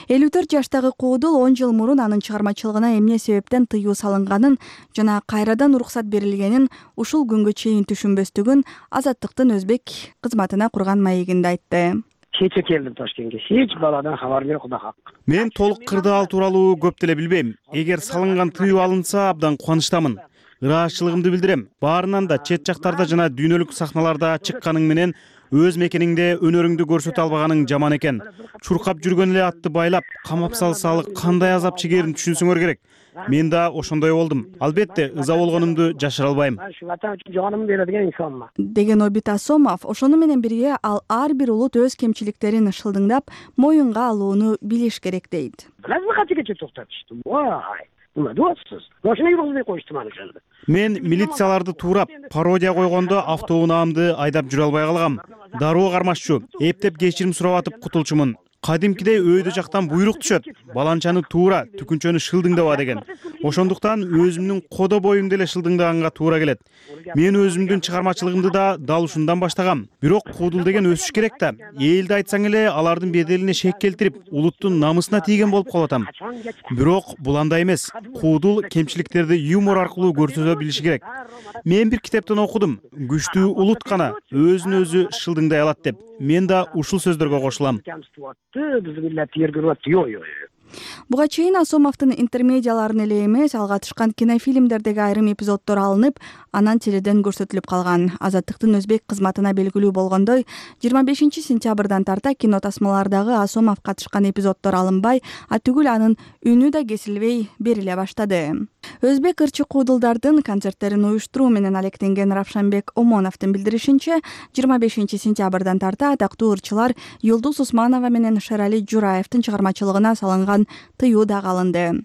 54 жаштагы Куудул 10 жыл мурун анын чыгармачылыгына эмне себептен тыюу салынган жана кайрадан уруксат берилгенин ушул күнгө чейин түшүнбөстүгүн Азаттыктын өзбек кызматына курган маегинде айтты. Кече келдим Ташкентке. Эч баладан кабар жок, Кудай хак. Мен толук кырдаал тууралуу көп деле билбейм. Эгер салынган тыюу алынса, абдан кубанычтамын. Ыраазычылыгымды билдирем. Баарынан да чет жактарда жана дүйнөлүк сахналарда чыкканың менен өз мекениңде өнөрүңдү көрсөтө албаганың жаман экен. Чуркап жүргөн эле атты байлап, камап салсалы кандай азап чегерин түшүнсөңөр керек. Мен да ошондой болдум. Албетте, ыза болгонумду жашыра албайм. Деген Обид Асомов, ошону менен бирге ал ар бир улут өз кемчиликтерин шылдыңдап, моюнга алууну билиш керек дейт. Мен милицияларды туурап, пародия койгондо автоунаамды айдап жүрө албай калгам. Дароо кармашчу, эптеп кечирим сурап атып кутулчумун. Кадимкидей өйдө жактан буйрук түшөт. Баланчаны туура, түкүнчөнү шылдыңдаба деген. Ошондуктан өзүмдүн кодо боюмду эле шылдыңдаганга туура келет. Мен өзүмдүн чыгармачылыгымды да дал ушундан баштагам. Бирок Куудул деген өсүш керек да. Элди айтсаң эле алардын беделине шек келтирип, улуттун намысына тийген болуп калып атам. Бирок бул андай эмес. Куудул кемчиликтерди юмор аркылуу көрсөтө билиши керек. Мен бир китептен окудум. Күчтүү улут гана өзүн өзү шылдыңдай алат деп. Мен да ушул сөздөргө кошулам. Буга чейин Асомовдун интермедиаларын эле эмес, ал катышкан кинофильмдердеги айрым эпизоддор алынып, анан теледен көрсөтүлүп калган. Азаттыктын өзбек кызматына белгилүү болгондой, 25 сентябрдан тарта кино тасмалардагы Асомов катышкан эпизоддор алынбай, түгүл анын үнү да кесилбей бериле баштады. Өзбек ырчы Куудулдардын концерттерин уюштуруу менен алектенген Равшанбек Омоновдун билдиришинче, 25 сентябрдан тарта атактуу ырчылар Юлдуз Усманова менен Шерали Жураевдин чыгармачылыгына салынган жөнүндөн тыюу дагы алынды.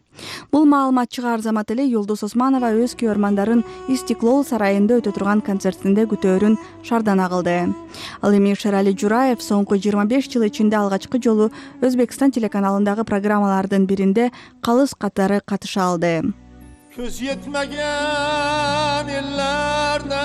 Бул маалымат чыгаар замат эле Юлдуз Османова өз күйөрмандарын Истиклол сарайында өтө турган концертинде күтөөрүн шардана кылды. Ал эми Шерали Жураев соңку 25 жыл ичинде алгачкы жолу Өзбекстан телеканалындагы программалардын биринде калыс катары катыша алды. Көз жетмеген эллерде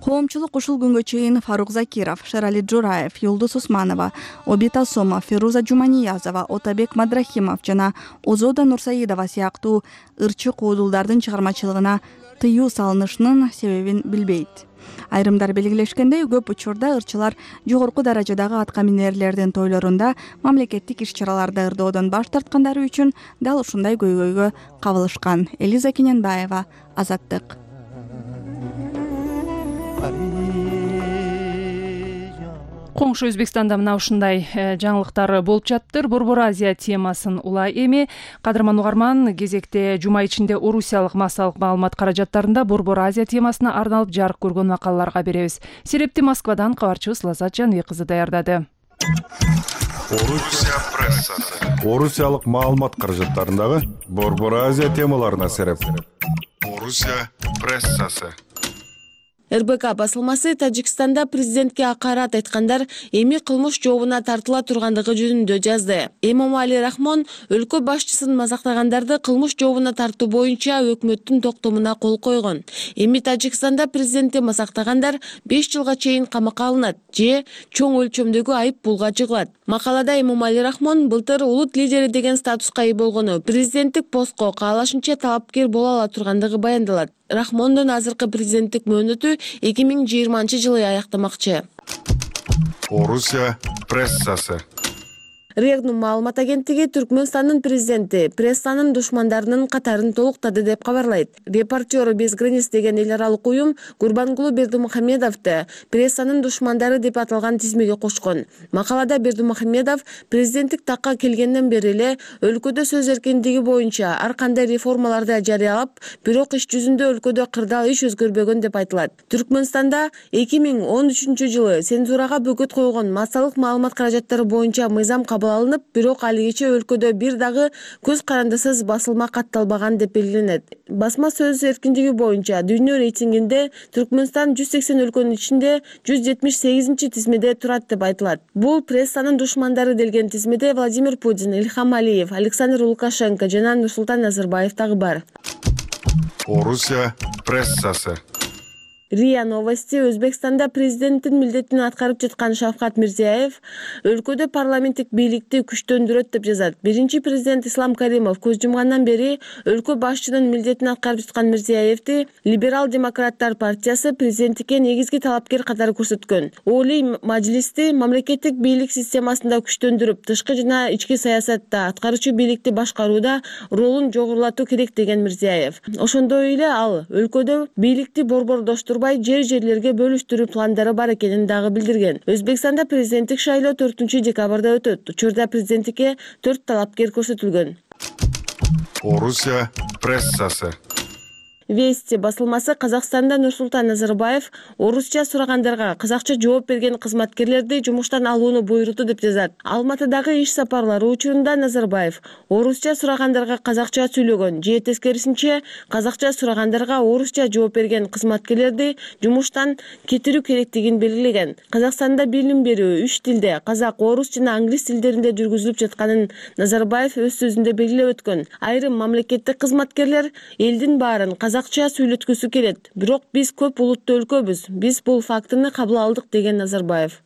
Коомчулук ушул күнгө чейин Фарук Закиров, Шерали Жураев, Юлдуз Османова, Обит Асомов, Феруза Жуманиязова, Отабек Мадрахимов жана Озода Нурсаидова сыяктуу ырчы куудулдардын чыгармачылыгына тыюу салынышынын себебин билбейт. Айрымдар белгилешкендей, көп учурда ырчылар жогорку даражадагы атка минерлердин тойлорунда мамлекеттик иш-чараларды ырдоодон баш тарткандары үчүн дал ушундай көйгөйгө кабылышкан. Элиза Кененбаева, Азаттык. Коңшу Өзбекстанда мына ушундай жаңылыктар болуп жатыптыр. Борбор Азия темасын улай эми кадырман угарман кезекте жума ичинде Орусиялык массалык маалымат каражаттарында Борбор Азия темасына арналып жарык көргөн макалаларга беребиз. Серепти Москвадан кабарчыбыз Лазат Жаныбек кызы даярдады. Орусия прессасы. Орусиялык маалымат каражаттарындагы Борбор Азия темаларына сереп. Орусия прессасы. РБК басылмасы Тажикстанда президентке акарат айткандар эми кылмыш жообуна тартыла тургандыгы жөнүндө жазды. Эмомали Рахмон өлкө башчысын мазактагандарды кылмыш жообуна тартуу боюнча өкмөттүн токтомуна кол койгон. Эми Тажикстанда президентти мазактагандар 5 жылга чейин камакка алынат же чоң өлчөмдөгү айып пулга жыгылат. Макалада Эмомали Рахмон былтыр улут лидери деген статуска ээ болгону, президенттик постко каалашынча талапкер боло ала тургандыгы баяндалат. Рахмондун азыркы президенттик мөөнөтү 2020-жылы аяктамакчы. Орусия прессасы. Регнум маалымат агенттиги Түркмөнстандын президенти прессанын душмандарынын катарын толуктады деп кабарлайт. Репортеры без границ деген эл аралык уюм Гурбангулу Бердимухамедовду прессанын душмандары деп аталган тизмеге кошкон. Макалада Бердимухамедов президенттик такка келгенден бери эле өлкөдө сөз эркиндиги боюнча ар кандай реформаларды жарыялап, бирок иш жүзүндө өлкөдө кырдаал иш өзгөрбөгөн деп айтылат. Түркмөнстанда 2013-жылы цензурага бөгөт койгон массалык маалымат каражаттары боюнча мыйзам алынып, бирок алигиче өлкөдө бир дагы көз карандысыз басылма катталбаган деп белгиленет. Басма сөз эркиндиги боюнча дүйнө рейтингинде Түркмөнстан 180 өлкөнүн ичинде 178-тизмеде турат деп айтылат. Бул прессанын душмандары делген тизмеде Владимир Путин, Ильхам Алиев, Александр Лукашенко жана Нурсултан Назарбаев дагы бар. Орусия прессасы. РИА Новости Өзбекстанда президенттин милдетин аткарып жаткан Шавкат Мирзиёев өлкөдө парламенттик бийликти күчтөндүрөт деп жазат. Биринчи президент Ислам Каримов көз жумгандан бери өлкө башчынын милдетин аткарып жаткан Мирзиёевди Либерал-демократтар партиясы президенттикке негизги талапкер катары көрсөткөн. Олий мажлисти мамлекеттик бийлик системасында күчтөндүрүп, тышкы жана ички саясатта аткаруучу бийликти башкарууда ролун жогорулатуу керек деген Мирзиёев. Ошондой эле ал өлкөдө бийликти борбордоштуруп жерлерге бөлүштүрүү пландары бар экенин дагы билдирген. Өзбекстанда президенттик шайлоо 4-декабрда өтөт. Учурда президенттикке 4 талапкер көрсөтүлгөн. Орусия прессасы. Вести басылмасы Казакстанда Нурсултан Назарбаев орусча сурагандарга казакча жооп берген кызматкерлерди жумуштан алууну буйруду деп жазат. Алматыдагы иш сапарлары учурунда Назарбаев орусча сурагандарга казакча сүйлөгөн же тескерисинче казакча сурагандарга орусча жооп берген кызматкерлерди жумуштан кетирүү керектигин белгилеген. Казакстанда билим берүү 3 тилде казак, орус жана англис тилдеринде жүргүзүлүп жатканын Назарбаев өз сөзүндө белгилеп өткөн. Айрым мамлекеттик кызматкерлер элдин баарын казакча сүйлөткүсү келет. Бирок биз көп улуттуу өлкөбүз. Биз бул фактыны кабыл алдык деген Назарбаев.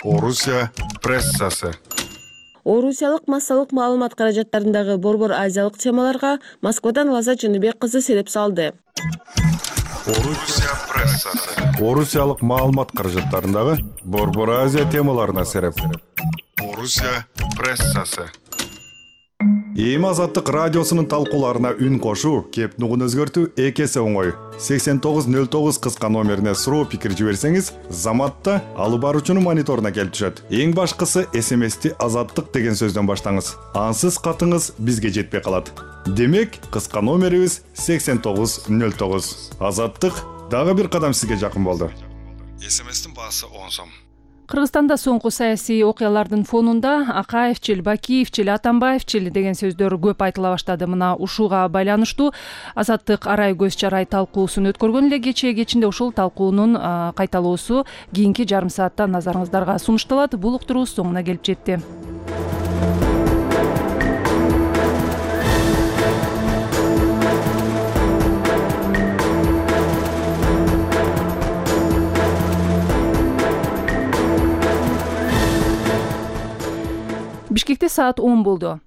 Орусия прессасы. Орусиялык массалык маалымат каражаттарындагы Борбор Азиялык темаларга Москвадан Лазат Жаныбек кызы сереп салды. Орусия прессасы. Орусиялык маалымат каражаттарындагы Борбор Азия темаларына сереп. Орусия прессасы. Эми Азаттык радиосунун талкууларына үн кошуу, кеп нугун өзгөртүү эки эсе оңой. 8909 кыска номерине суроо пикир жиберсеңиз, заматта алып баруучунун мониторуна келип түшөт. Эң башкысы СМСти Азаттык деген сөздөн баштаңыз. Ансыз катыңыз бизге жетпей калат. Демек, кыска номерибиз 8909. Азаттык дагы бир кадам сизге жакын болду. СМСтин баасы 10 сом. Кыргызстанда соңку саясий окуялардын фонунда Акаевчил, Бакиевчил, Атамбаевчил деген сөздөр көп айтыла баштады. Мына ушуга байланыштуу Азаттык арай көз чарай талкуусун өткөргөн эле кечинде ушул талкуунун кайталоосу кийинки жарым саатта назарыңыздарга сунушталат. Бул уктуруу соңуна келип жетти. Бишкекте саат 10 болду.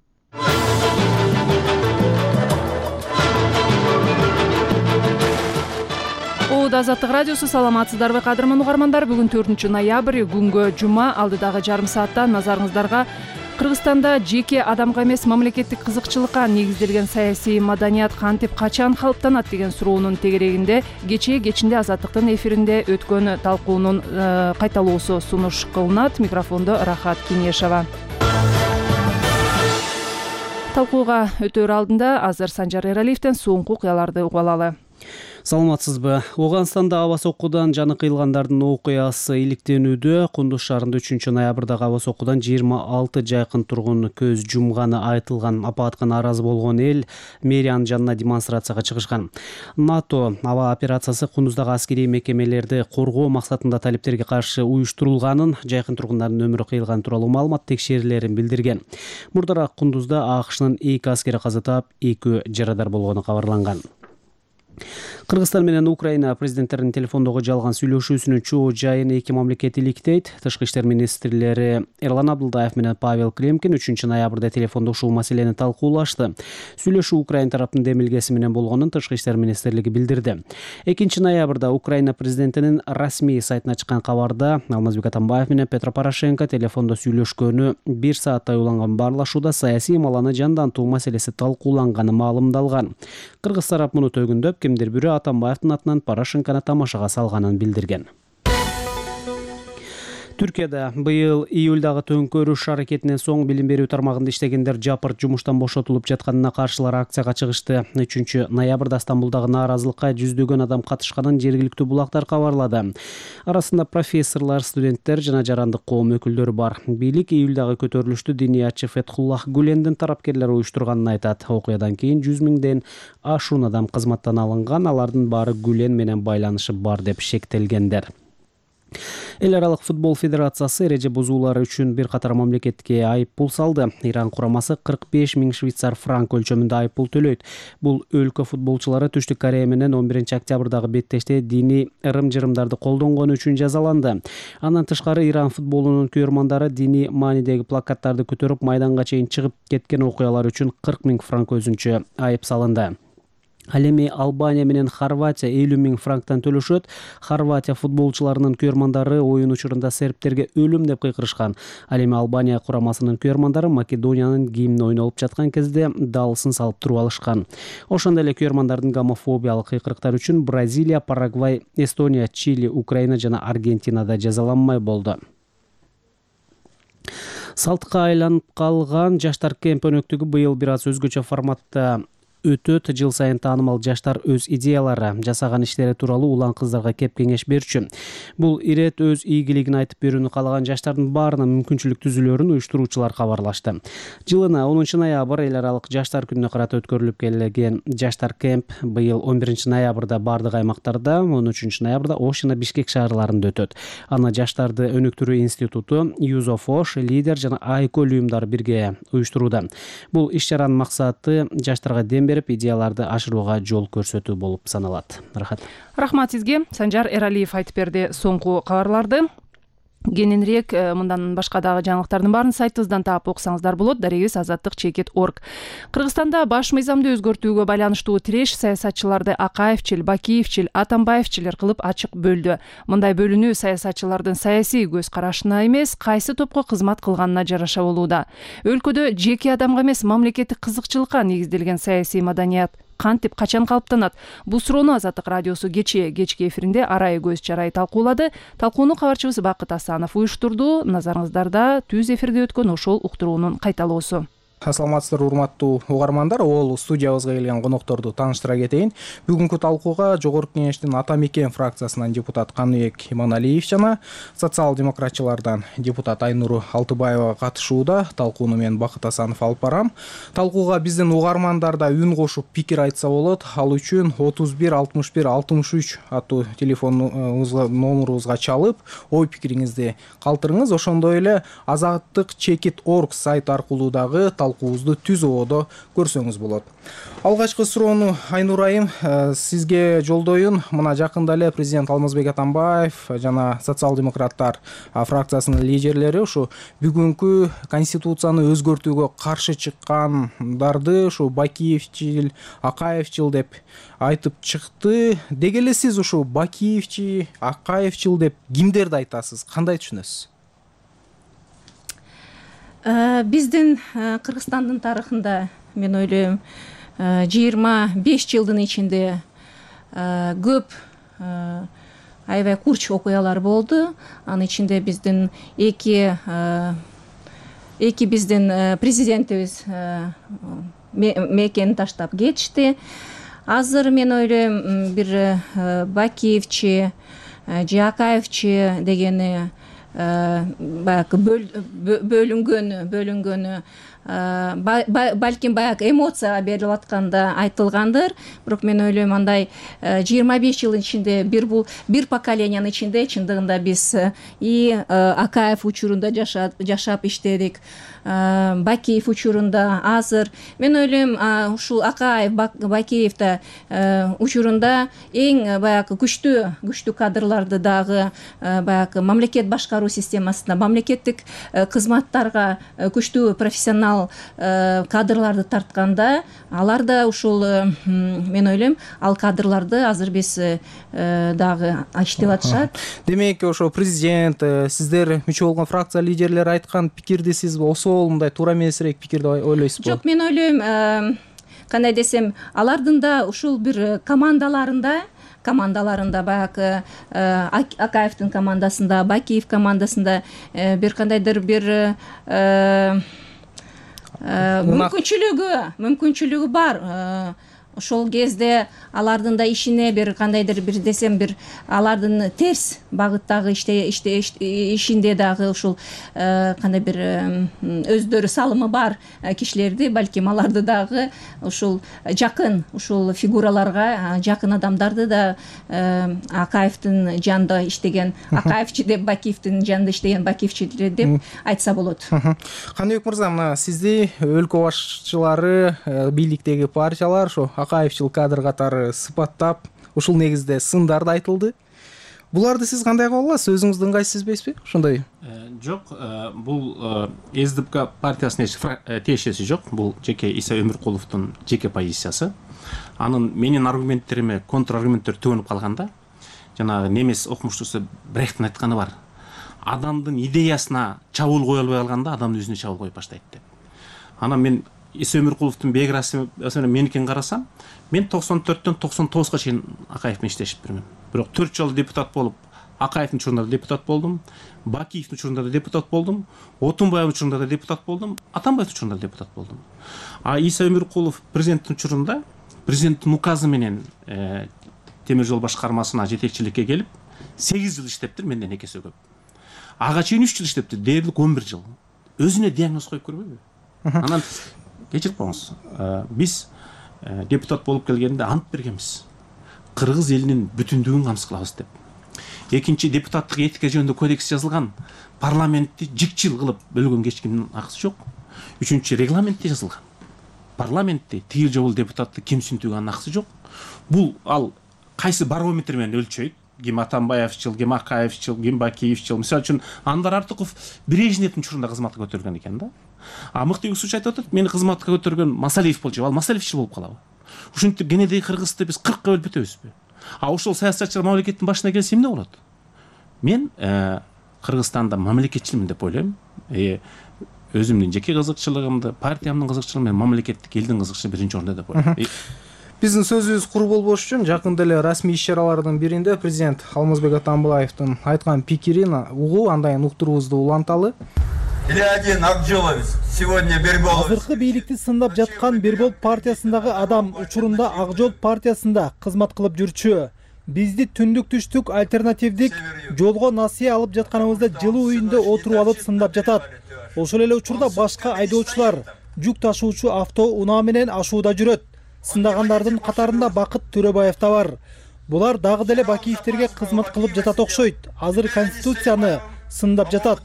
Азаттык радиосу, саламатсыздарбы кадырман угармандар? Бүгүн 4 ноябрь, күнгө жума. Алдыдагы жарым саатта назарыңыздарга Кыргызстанда жеке адамга эмес мамлекеттик кызыкчылыкка негизделген саясий маданият кантип качан калыптанат деген суроонун тегерегинде кечинде Азаттыктын эфиринде өткөн талкуунун кайталоосу сунуш кылынат. Микрофондо Рахат Кинешова. Талкууга өтөр алдында азыр Санжар Эралиевден соңку окуяларды угуп алалы. Саламатсызбы? Оганстанда аба соккудан жаны кыйылгандардын окуясы иликтенүүдө. Кундуз шаарында 3 ноябрдагы аба соккудан 26 жайкын тургун көз жумганы айтылган. Апатка нааразы болгон эл мэриянын жанына демонстрацияга чыгышкан. НАТО аба операциясы Кундуздагы аскерий мекемелерди коргоо максатында талептерге каршы уюштурулганын, жайкын тургундардын өмүрү кыйылганы тууралуу маалымат текшерүүлөрүн билдирген. Мурдараак Кундузда АКШнын 2 аскери каза таап, 2 жарадар болгону кабарланган. Кыргызстан менен Украина президенттеринин телефондогу жалган сүйлөшүүсүнүн чоо жайын эки мамлекет иликтейт. Тышкы иштер министрлери Эрлан Абдылдаев менен Павел Климкин 3 ноябрда телефондо ушул маселени талкуулашты. Сүйлөшүү Украина тараптын демилгеси менен болгонун Тышкы иштер министрлиги билдирди. 2 ноябрда Украина президентинин расмий сайтына чыккан кабарда Алмазбек Атамбаев менен Петро Порошенко телефондо сүйлөшкөнү, 1 сааттай уланган баарлашууда саясий маланы жандантуу маселеси талкууланганы маалымдалган. Кыргыз тарап муну төгүндөп, кимдир бирөө Атамбаевдин атынан Порошенкону тамашага салганын билдирген. Түркияда быйыл июлдагы төңкөрүш аракетинен соң билим берүү тармагында иштегендер жапырт жумуштан бошотулуп жатканына каршылар акцияга чыгышты. 3 ноябрда Стамбулдагы нааразылыкка жүздөгөн адам катышканын жергиликтүү булактар кабарлады. Арасында профессорлор, студенттер жана жарандык коом өкүлдөрү бар. Бийлик июлдагы көтөрүлүштү диниятчы Фетхуллах Гулендин тарапкерлери уюштурганын айтат. Окуядан кийин 100 миңден ашуун адам кызматтан алынган, алардын баары Гулен менен байланышы бар деп шектелгендер. Эл аралык футбол федерациясы эреже бузуулары үчүн бир катар мамлекетке айыппул салды. Иран курамасы 45 миң швейцар франк өлчөмүндө айыппул төлөйт. Бул өлкө футболчулары Түштүк Корея менен 11 октябрдагы беттеште диний ырым-жырымдарды колдонгону үчүн жазаланды. Андан тышкары Иран футболунун күйөрмандары диний маанидеги плакаттарды көтөрүп майданга чейин чыгып кеткен окуялар үчүн 40 миң франк өзүнчө айып салынды. Ал эми Албания менен Хорватия 50 миң франктан төлөшөт. Хорватия футболчуларынын күйөрмандары оюн учурунда сербтерге өлүм деп кыйкырышкан. Ал эми Албания курамасынын күйөрмандары Македониянын гимни ойнолуп жаткан кезде даалысын салып туруп алышкан. Ошондой эле күйөрмандардын гомофобиялык кыйкырыктар үчүн Бразилия, Парагвай, Эстония, Чили, Украина жана Аргентинада жазаланмай болду. Салтка айланып калган жаштар кемп өнөктүгү быйыл бир аз өзгөчө форматта өтөт. Жыл сайын таанымал жаштар өз идеялары, жасаган иштери тууралуу улан кыздарга кеп кеңеш берчү. Бул ирет өз ийгилигин айтып берүүнү каалаган жаштардын баарына мүмкүнчүлүк түзүлөрүн уюштуруучулар кабарлашты. Жылына 10 ноябрь эл аралык жаштар күнүнө карата өткөрүлүп келген жаштар кемп быйыл 11 ноябрда бардык аймактарда, 13 ноябрда Ош жана Бишкек шаарларында өтөт. Аны жаштарды өнүктүрүү институту, Юзофош, Лидер жана Айкөл уюмдары бирге уюштурууда. Бул иш-чаранын максаты жаштарга дем берип, идеяларды ашырууга жол көрсөтүү болуп саналат. Рахмат сизге. Санжар Эралиев айтып берди соңку кабарларды. Кененирээк мындан башка дагы жаңылыктардын баарын сайтыбыздан таап окусаңыздар болот. Дарегибиз azattik.org. Кыргызстанда баш мыйзамды өзгөртүүгө байланыштуу тиреш саясатчыларды Акаевчил, Бакиевчил, Атамбаевчилер кылып ачык бөлдү. Мындай бөлүнүү саясатчылардын саясий көз карашына эмес, кайсы топко кызмат кылганына жараша болууда. Өлкөдө жеке адамга эмес мамлекеттик кызыкчылыкка негизделген саясий маданият кантип качан калыптанат? Бул суроону Азаттык радиосу кечки эфиринде арай көз чарай талкуулады. Талкууну кабарчыбыз Бакыт Асанов уюштурду. Назарыңыздарда түз эфирде өткөн ошол уктуруунун кайталоосу. Саламатсыздарбы урматтуу угармандар. Ол студиябызга келген конокторду тааныштыра кетейин. Бүгүнкү талкууга Жогорку Кеңештин Ата Мекен фракциясынан депутат Каныбек Иманалиев жана социал-демократчылардан депутат Айнур Алтыбаева катышууда. Талкууну мен Бакыт Асанов алып барам. Талкууга биздин угармандар да үн кошуп пикир айтса болот. Ал үчүн 31 61 63 аттуу телефон номерубузга чалып, ой пикириңизди калтырыңыз. Ошондой эле azattik.org сайт аркылуу дагы талкуубузду түз ободо көрсөңүз болот. Алгачкы суроону Айнур айым сизге жолдоюн. Мына жакында эле президент Алмазбек Атамбаев жана социал-демократтар фракциясынын лидерлери ушу бүгүнкү конституцияны өзгөртүүгө каршы чыккандарды ушу Бакиевчил, Акаевчил деп айтып чыкты. Деги эле сиз ушу Бакиевчи, Акаевчил деп кимдерди айтасыз? Кандай түшүнөсүз? Биздин Кыргызстандын тарыхында мен ойлойм 25 жылдын ичинде көп аябай курч окуялар болду. Анын ичинде биздин эки биздин президентибиз мекени таштап кетишти. Азыр мен ойлойм бир Бакиевчи, Акаевчи дегени баягы бөлүнгөнү балким баягы эмоцияга берилип атканда айтылгандыр. Бирок мен ойлойм андай 25 жылдын ичинде бир поколениянын ичинде чындыгында биз и Акаев учурунда жашап иштедик, Бакиев учурунда, азыр мен ойлойм ушул Акаев, Бакиев да учурунда эң баягы күчтүү кадрларды дагы баягы мамлекет башкаруу системасына, мамлекеттик кызматтарга күчтүү профессионал кадрларды тартканда, алар да ушул мен ойлойм ал кадрларды азыр биз дагы иштеп атышат. Демек ошо президент, сиздер мүчө болгон фракция лидерлери айткан пикирди сиз мындай туура эмесирээк пикирди ойлойсузбу? Жок, мен ойлойм кандай десем, алардын да ушул бир командаларында баягы Акаевдин командасында, Бакиев командасында бир кандайдыр бир мүмкүнчүлүгү бар. Ошол кезде алардын да ишине бир кандайдыр бир десем бир алардын терс багыттагы ишинде дагы ушул кандай бир өздөрү салымы бар кишилерди, балким аларды дагы ушул жакын ушул фигураларга жакын адамдарды да Акаевдин жанында иштеген Акаевчи деп, Бакиевдин жанында иштеген Бакиевчилер деп айтса болот. Каныбек мырза, мына сизди өлкө башчылары, бийликтеги партиялар ошо Акаевчил кадр катары сыпаттап, ушул негизде сындарды айтылды. Буларды сиз кандай кабыл аласыз? Өзүңүздү ыңгайсыз сезбейсизби? Ошондой? Жок, бул СДПК партиясына тиешеси жок. Бул жеке Иса Өмүркуловдун жеке позициясы. Анын менин аргументтериме контраргументтер төгүнүп калганда, жанагы немес окумуштуусу Брехттин айтканы бар. Адамдын идеясына чабуул кое албай калганда, адамдын өзүнө чабуул коюп баштайт деп. Анан мен Иса Өмүркуловдун биографиясына меникин карасам, мен 94-төн 99-га чейин Акаев менен иштешипмин. Бирок 4 жыл депутат болуп, Акаевдин учурунда да депутат болдум, Бакиевдин учурунда да депутат болдум, Отунбаевдин учурунда да депутат болдум, Атамбаевдин учурунда да депутат болдум. А Иса Өмүркулов президенттин учурунда президенттин указы менен темир жол башкармасына жетекчиликке келип, 8 жыл иштептир, менден 2 эсе көп. Ага чейин 3 жыл иштептир, дээрлик 11 жыл. Өзүнө диагноз коюп көрбөйбү? Анан кечирип коюңуз. Биз депутат болуп келгенде ант бергенбиз. Кыргыз элинин бүтүндүгүн камсыз кылабыз деп. Экинчи, депутаттык этика жөнүндө кодекс жазылган, парламентти жикчил кылып бөлгөн кечкимдин акысы жок. Үчүнчү, регламентте жазылган. Парламентти тигил жобул депутатты ким сүнтүгөн акысы жок. Бул ал кайсы барометр менен өлчөйт? Ким Атамбаевчил, ким Акаевчил, ким Бакиевчил. Мисалы үчүн Анвар Артыков Брежневдин учурунда кызматка көтөргөн экен да. А мыкты үгүсүч айтып атат, мени кызматка көтөргөн Масалиев болчу, ал Масалиевчил болуп калабы? Ушинтип кенедей Кыргызды биз 40ка бөлүп кетебизби? А ошол саясатчылар мамлекеттин башына келсе эмне болот? Мен Кыргызстанда мамлекетчилмин деп ойлойм. Өзүмдүн жеке кызыкчылыгымды, партиямдын кызыкчылыгын мен мамлекеттик элдин кызыкчылыгы биринчи орунда деп ойлойм. Биздин сөзүбүз кур болбош үчүн жакында эле расмий иш-чаралардын биринде президент Алмазбек Атамбаевдин айткан пикирин угуу, андайын уктуруубузду уланталы. или один Акжоловец сегодня Берболов. Азыркы бийликти сындап жаткан Бербол партиясындагы адам учурунда Ак жол партиясында кызмат кылып жүрчү. Бизди түндүк түштүк альтернативдик жолго насыя алып жатканыбызда жылуу үйүндө отуруп алып сындап жатат. Ошол эле учурда башка айдоочулар жүк ташуучу автоунаа менен ашууда жүрөт. Сындагандардын катарында Бакыт Төрөбаев да бар. Булар дагы деле Бакиевтерге кызмат кылып жатат окшойт. Азыр конституцияны сындап жатат.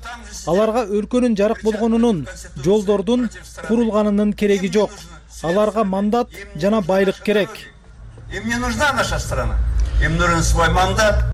Аларга өлкөнүн жарык болгонунун, жолдордун курулганынын кереги жок. Аларга мандат жана байлык керек. Им не нужна наша страна. Им нужен свой мандат.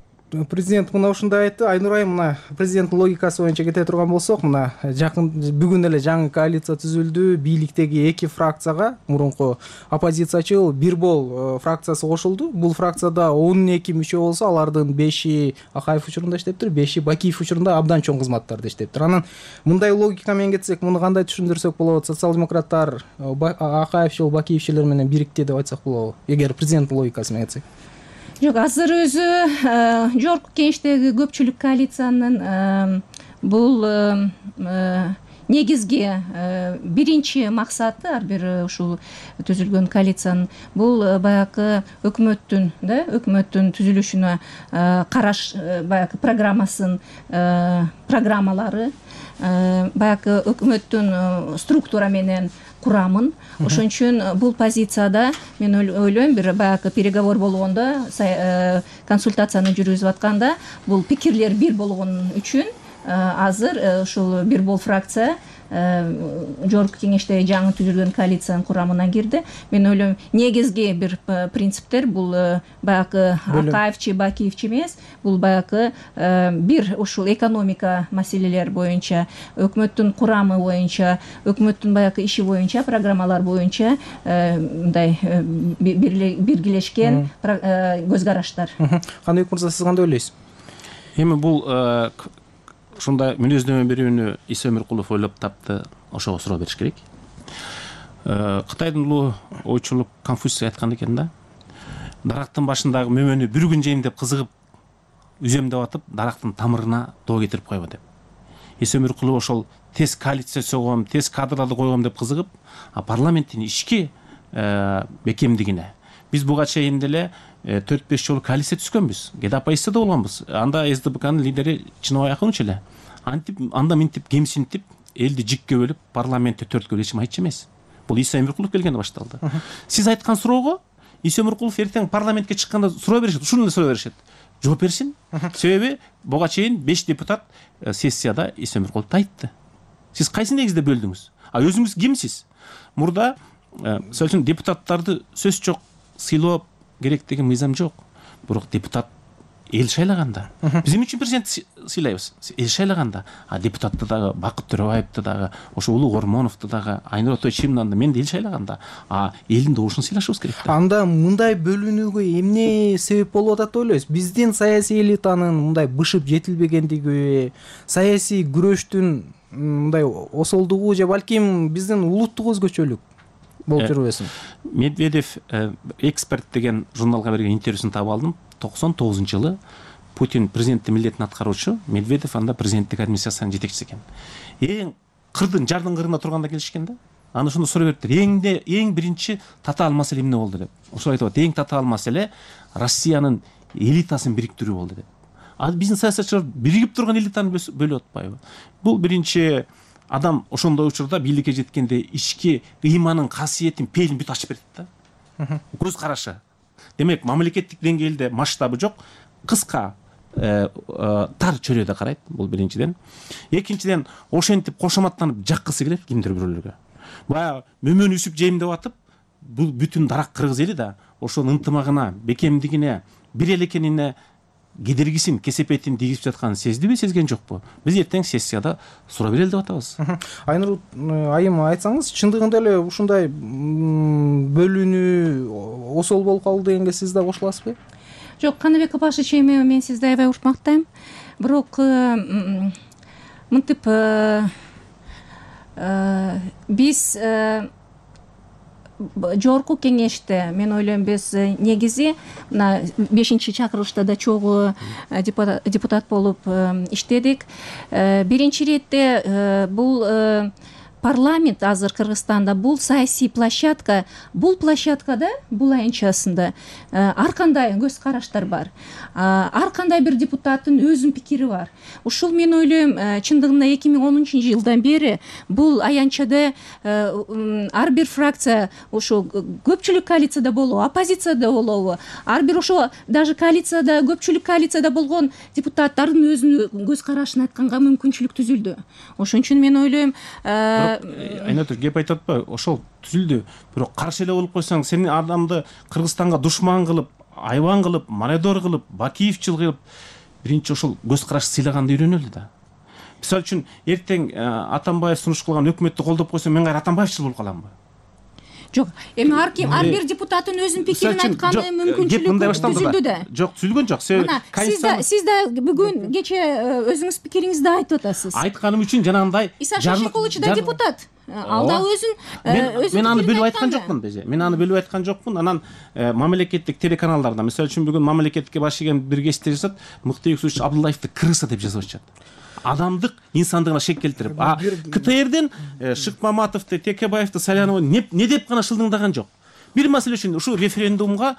Президент мына ушундай айтты. Айнур айым, мына президенттин логикасы боюнча кете турган болсок, мына жакын бүгүн эле жаңы коалиция түзүлдү. Бийликтеги эки фракцияга мурунку оппозициячыл Бирбол фракциясы кошулду. Бул фракцияда 12 мүчө болсо, алардын 5 Акаев учурунда иштептир, 5 Бакиев учурунда абдан чоң кызматтарда иштептир. Анан мындай логика менен кетсек, муну кандай түшүндүрсөк болот? Социал-демократтар Акаевчил, Бакиевчилер менен бирикти деп айтсак болобу? Эгер президенттин логикасы менен кетсек. Жок, азыр өзү жогорку кеңештеги көпчүлүк коалициянын бул негизги биринчи максаты, ар бир ушул түзүлгөн коалициянын бул баягы өкмөттүн түзүлүшүнө караш баягы программалары, баягы өкмөттүн структура менен курамын. Ошон үчүн бул позицияда мен ойлойм, бир баягы переговор болгондо, консультацияны жүргүзүп атканда бул пикирлер бир болгон үчүн азыр ушул Бирбол фракция жогорку кеңеште жаңы түзүлгөн коалициянын курамына кирди. Мен ойлойм, негизги бир принциптер бул баягы Акаевчи, Бакиевчи эмес, бул баягы бир ушул экономика маселелер боюнча, өкмөттүн курамы боюнча, өкмөттүн баягы иши боюнча, программалар боюнча мындай биргелешкен көз караштар. Кандай мырза, сиз кандай ойлойсуз? Эми бул ушундай мүнөздөмө берүүнү Иса Өмүркулов ойлоп тапты, ошого суроо бериш керек. Кытайдын улуу ойчулу Конфуций айткан экен да, дарактын башындагы мөмөнү бир күн жейм деп кызыгып үзөм деп атып, дарактын тамырына доо кетирип койбо деп. Иса Өмүркулов ошол тез коалиция согом, тез кадрларды койгом деп кызыгып, парламенттин ички бекемдигине биз буга чейин деле 4-5 жолу коалиция түзгөнбүз. Кеде оппозицияда болгонбуз. Анда СДПКнын лидери Чыныбай Акынович эле антип, анда минтип, кемсинтип, элди жикке бөлүп, парламентти төрткө эч айтчу эмес. Бул Иса Өмүркулов келгенде башталды. Сиз айткан суроого Иса Өмүркулов эртең парламентке чыкканда суроо беришет, ушуну эле суроо беришет. Жооп берсин. Себеби буга чейин 5 депутат сессияда Иса Өмүркуловду айтты. Сиз кайсы негизде бөлдүңүз? Өзүңүз кимсиз? Мурда мисалы үчүн депутаттарды сөз жок сыйлоо керек деген мыйзам жок. Бирок депутат эл шайлаганда, биз эмне үчүн президент сыйлайбыз? Эл шайлаганда, депутатты дагы, Бакыт Төрөбаевди дагы, ошо Улуу Ормоновду дагы, Айнура Тойчимовду мен эл шайлаганда, элдин добушун сыйлашыбыз керек да. Анда мындай бөлүнүүгө эмне себеп болуп атат деп ойлойсуз? Биздин саясий элитанын мындай бышып жетилбегендиги, саясий күрөштүн мындай осолдугу же балким биздин улуттук өзгөчөлүк болуп жүрбөсүн? Медведев эксперт деген журналга берген интервьюсун таап алдым. 99-жылы Путин президенттин милдетин аткаруучу, Медведев анда президенттик администрациянын жетекчиси экен. Эң кырдын жардын кырында турганда келишкен да. Аны ошондо суроо бериптир. Эң биринчи татаал маселе эмне болду деп. Ошо айтып атат, эң татаал маселе Россиянын элитасын бириктирүү болду деп. Биздин саясатчылар биригип турган элитаны бөлүп атпайбы? Бул биринчи адам ошондой учурда бийликке жеткенде ички ыйманын касиетин, пелин бүт ачып берет да. Көз карашы. Демек, мамлекеттик деңгээлде масштабы жок, кыска, тар чөйрөдө карайт, бул биринчиден. Экинчиден, ошентип кошоматтанып жаккысы келет кимдир бирөөлөргө. Баягы мөмөнү үсүп жейм деп атып, бул бүтүн дарак кыргыз эли да ошонун ынтымагына, бекемдигине, бир эл экенине кедергисин, кесепетин тийгизип жатканын сездиби, сезген жокпу? Биз эртең сессияда суроо берели деп атабыз. Айнур айым, айтсаңыз, чындыгында эле ушундай бөлүнүү осол болуп калды дегенге сиз да кошуласызбы? Жок, Каныбек Апашевич, эми мен сизди аябай урматтайм. Бирок мынтип биз жогорку кеңеште мен ойлойм биз негизи мына 5-чакырылышта да чогуу депутат болуп иштедик. Биринчи иретте бул парламент азыр Кыргызстанда бул саясий площадка. Бул площадкада, бул аянтчасында ар кандай көз караштар бар. Ар кандай бир депутаттын өзүнүн пикири бар. Ушул мен ойлойм чындыгында 2010-жылдан бери бул аянтчада ар бир фракция ошо көпчүлүк коалицияда болобу, оппозицияда болобу, ар бир ошо даже коалицияда көпчүлүк коалицияда болгон депутаттардын өзүнүн көз карашын айтканга мүмкүнчүлүк түзүлдү. Ошон үчүн мен ойлойм Айнатур кеп айтып атпайбы, ошол түзүлдү. Бирок каршы эле болуп койсоң, сени адамды Кыргызстанга душман кылып, айбан кылып, мародер кылып, бакиевчил кылып, биринчи ошол көз караш сыйлаганды үйрөнөлү да. Мисалы үчүн эртең Атамбаев сунуш кылган өкмөттү колдоп койсо, мен кайра Атамбаевчил болуп каламбы? Жок, эми ар бир депутаттын өзүнүн пикирин айтканы мүмкүнчүлүк түзүлдү да. Жок, түзүлгөн жок. Сиз да бүгүн кече өзүңүз пикириңизди айтып атасыз. Айтканым үчүн жанагындай Иса Шашикулович да депутат. Ал да мен аны бөлүп айткан жокмун деже. Мен аны бөлүп айткан жокмун. Анан мамлекеттик телеканалдарда, мисалы үчүн бүгүн мамлекетке баш ийген бир кесте жасап, мыкты өксүч Абдуллаевди крыса деп жазып атышат. Адамдык инсандыгына шек келтирип, КТРден Шыкмаматовду, Текебаевди, Саляновду не деп гана шылдыңдаган жок. Бир маселе үчүн ушул референдумга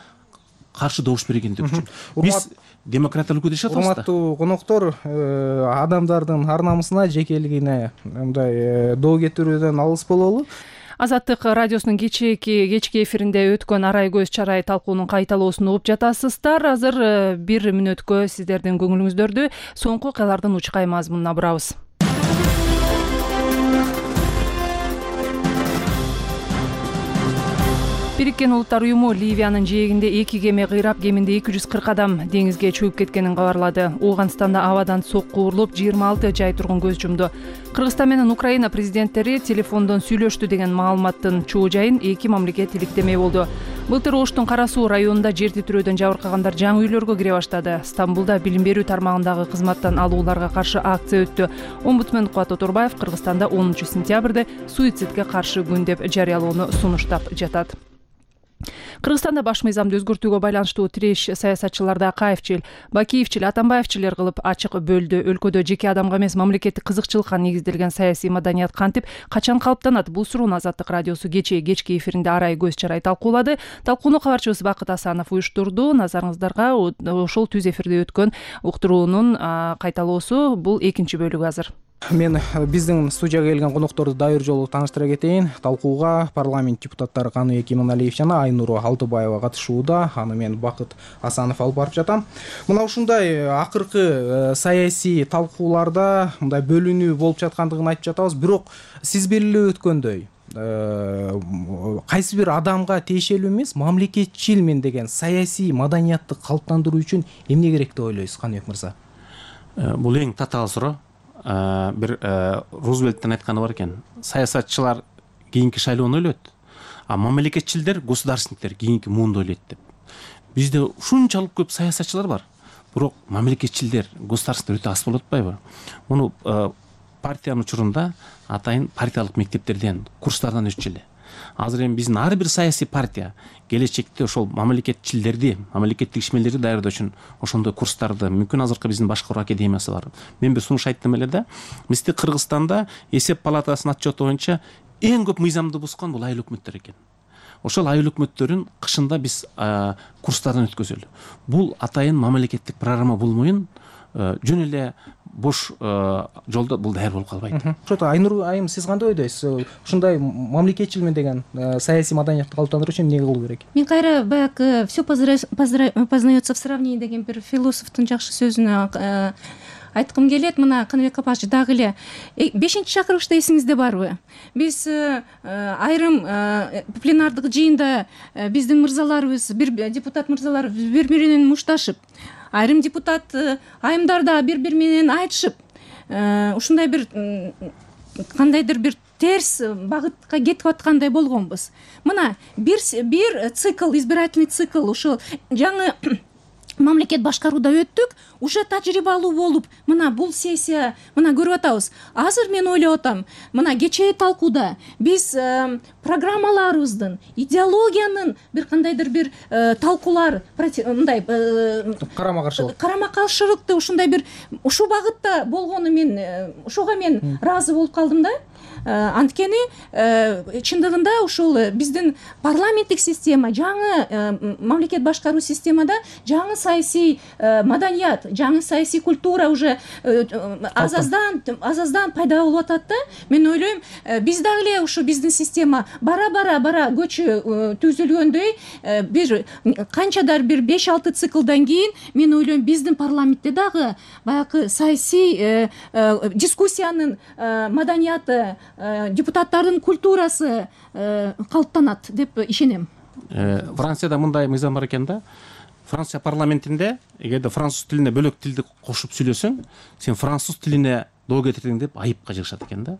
каршы добуш бергендик үчүн. Биз демократия өлкөдө жашап атабыз да. Урматтуу коноктор, адамдардын ар намысына, жекелигине мындай доо кетирүүдөн алыс бололу. Азаттык радиосунун кечки эфиринде өткөн арай көз чарай талкуунун кайталоосун угуп жатасыздар. Азыр бир мүнөткө сиздердин көңүлүңүздөрдү соңку окуялардын учкай мазмунуна бурабыз. Бириккен Улуттар уюму Ливиянын жээгинде 2 кеме кыйрап, кеминде 240 адам деңизге чөгүп кеткенин кабарлады. Ооганстанда абадан сокку урулуп, 26 жай тургун көз жумду. Кыргызстан менен Украина президенттери телефондон сүйлөштү деген маалыматтын чоо жайын эки мамлекет иликтемей болду. Былтыр Оштун Кара Суу районунда жер титирөөдөн жабыркагандар жаңы үйлөргө кире баштады. Стамбулда билим берүү тармагындагы кызматтан алууларга каршы акция өттү. Омбудсмен Кубат Оторбаев Кыргызстанда 10 сентябрда суицидге каршы күн деп жарыялоону сунуштап жатат. Кыргызстанда баш мыйзамды өзгөртүүгө байланыштуу тиреш саясатчыларды Акаевчил, Бакиевчил, Атамбаевчилер кылып ачык бөлдү. Өлкөдө жеке адамга эмес, мамлекеттик кызыкчылыкка негизделген саясий маданият кантип, качан калыптанат? Бул суроону Азаттык радиосу кечки эфиринде арай көз чарай талкуулады. Талкууну кабарчыбыз Бакыт Асанов уюштурду. Назарыңыздарга ошол түз эфирде өткөн уктуруунун кайталоосу. Бул экинчи бөлүгү азыр. Мен биздин студияга келген конокторду дайыр жолу тааныштыра кетейин. Талкууга парламент депутаттары Каныбек Кемоналиев жана Айнура Алтыбаева катышууда. Аны мен Бакыт Асанов алып барып жатам. Мына ушундай акыркы саясий талкууларда мындай бөлүнүү болуп жаткандыгын айтып жатабыз. Бирок сиз белгилеп өткөндөй кайсы бир адамга тиешелүү эмес, мамлекетчилмен деген саясий маданиятты калыптандыруу үчүн эмне керек деп ойлойсуз, Каныбек мырза? Бул эң татаал суроо. Бир Рузвельттин айтканы бар экен. Саясатчылар кийинки шайлоону ойлойт, а мамлекетчилдер, государственниктер кийинки муунду ойлойт деп. Бизде ушунчалык көп саясатчылар бар, бирок мамлекетчилдер, государственниктер өтө аз болуп атпайбы? Муну партиянын учурунда атайын партиялык мектептерден, курстардан өтчү эле. Азыр эми биздин ар бир саясий партия келечекте ошол мамлекетчилдерди, мамлекеттик ишмерлерди даярдоо үчүн ошондой курстарды, мүмкүн азыркы биздин башкаруу академиясы бар. Мен бир сунуш айттым эле да, бизде Кыргызстанда эсеп палатасынын отчету боюнча эң көп мыйзамды бузган бул айыл өкмөттөр экен. Ошол айыл өкмөттөрүн кышында биз курстардан өткөзөлү. Бул атайын мамлекеттик программа болмоюн, жөн эле бош жолдо бул даяр болуп калбайт. Ошо Айнур айым, сиз кандай ойдойсуз? Ушундай мамлекетчилмен деген саясий маданиятты калыптандыруу үчүн эмне кылуу керек? Мен кайра баягы все познается в сравнении деген бир философтун жакшы сөзүнө айткым келет. Мына Каныбек апач дагы эле 5-чакырылышта эсиңизде барбы? Биз айрым пленардык жыйында биздин мырзаларыбыз, бир депутат мырзаларыбыз бири-биринен мушташып, айрым депутат айымдарда бири-бири менен айтышып, ушундай бир кандайдыр бир терс багытка кетип аткандай болгонбуз. Мына бир цикл, избирательный цикл, ошол жаңы мамлекет башкарууда өттүк, уже тажрыйбалуу болуп, мына бул сессия, мына көрүп атабыз. Азыр мен ойлоп атам, мына кечээ талкууда биз программаларыбыздын, идеологиянын бир кандайдыр бир талкуулар, мындай карама каршылыкты ушундай бир ушул багытта болгону мен ошого мен ыраазы болуп калдым да. Анткени чындыгында ушул биздин парламенттик система, жаңы мамлекет башкаруу системада жаңы саясий маданият, жаңы саясий культура уже азаздан пайда болуп атат да. Мен ойлойм, биз дагы эле ушу биздин система бара көчү түзүлгөндөй бир канчадар бир 5-6 циклдан кийин мен ойлойм биздин парламентте дагы баягы саясий дискуссиянын маданияты, депутаттардын культурасы калыптанат деп ишенем. Францияда мындай мыйзам бар экен да. Франция парламентинде эгерде француз тилине бөлөк тилди кошуп сүйлөсөң, сен француз тилине доо кетирдиң деп айыпка жыгышат экен да.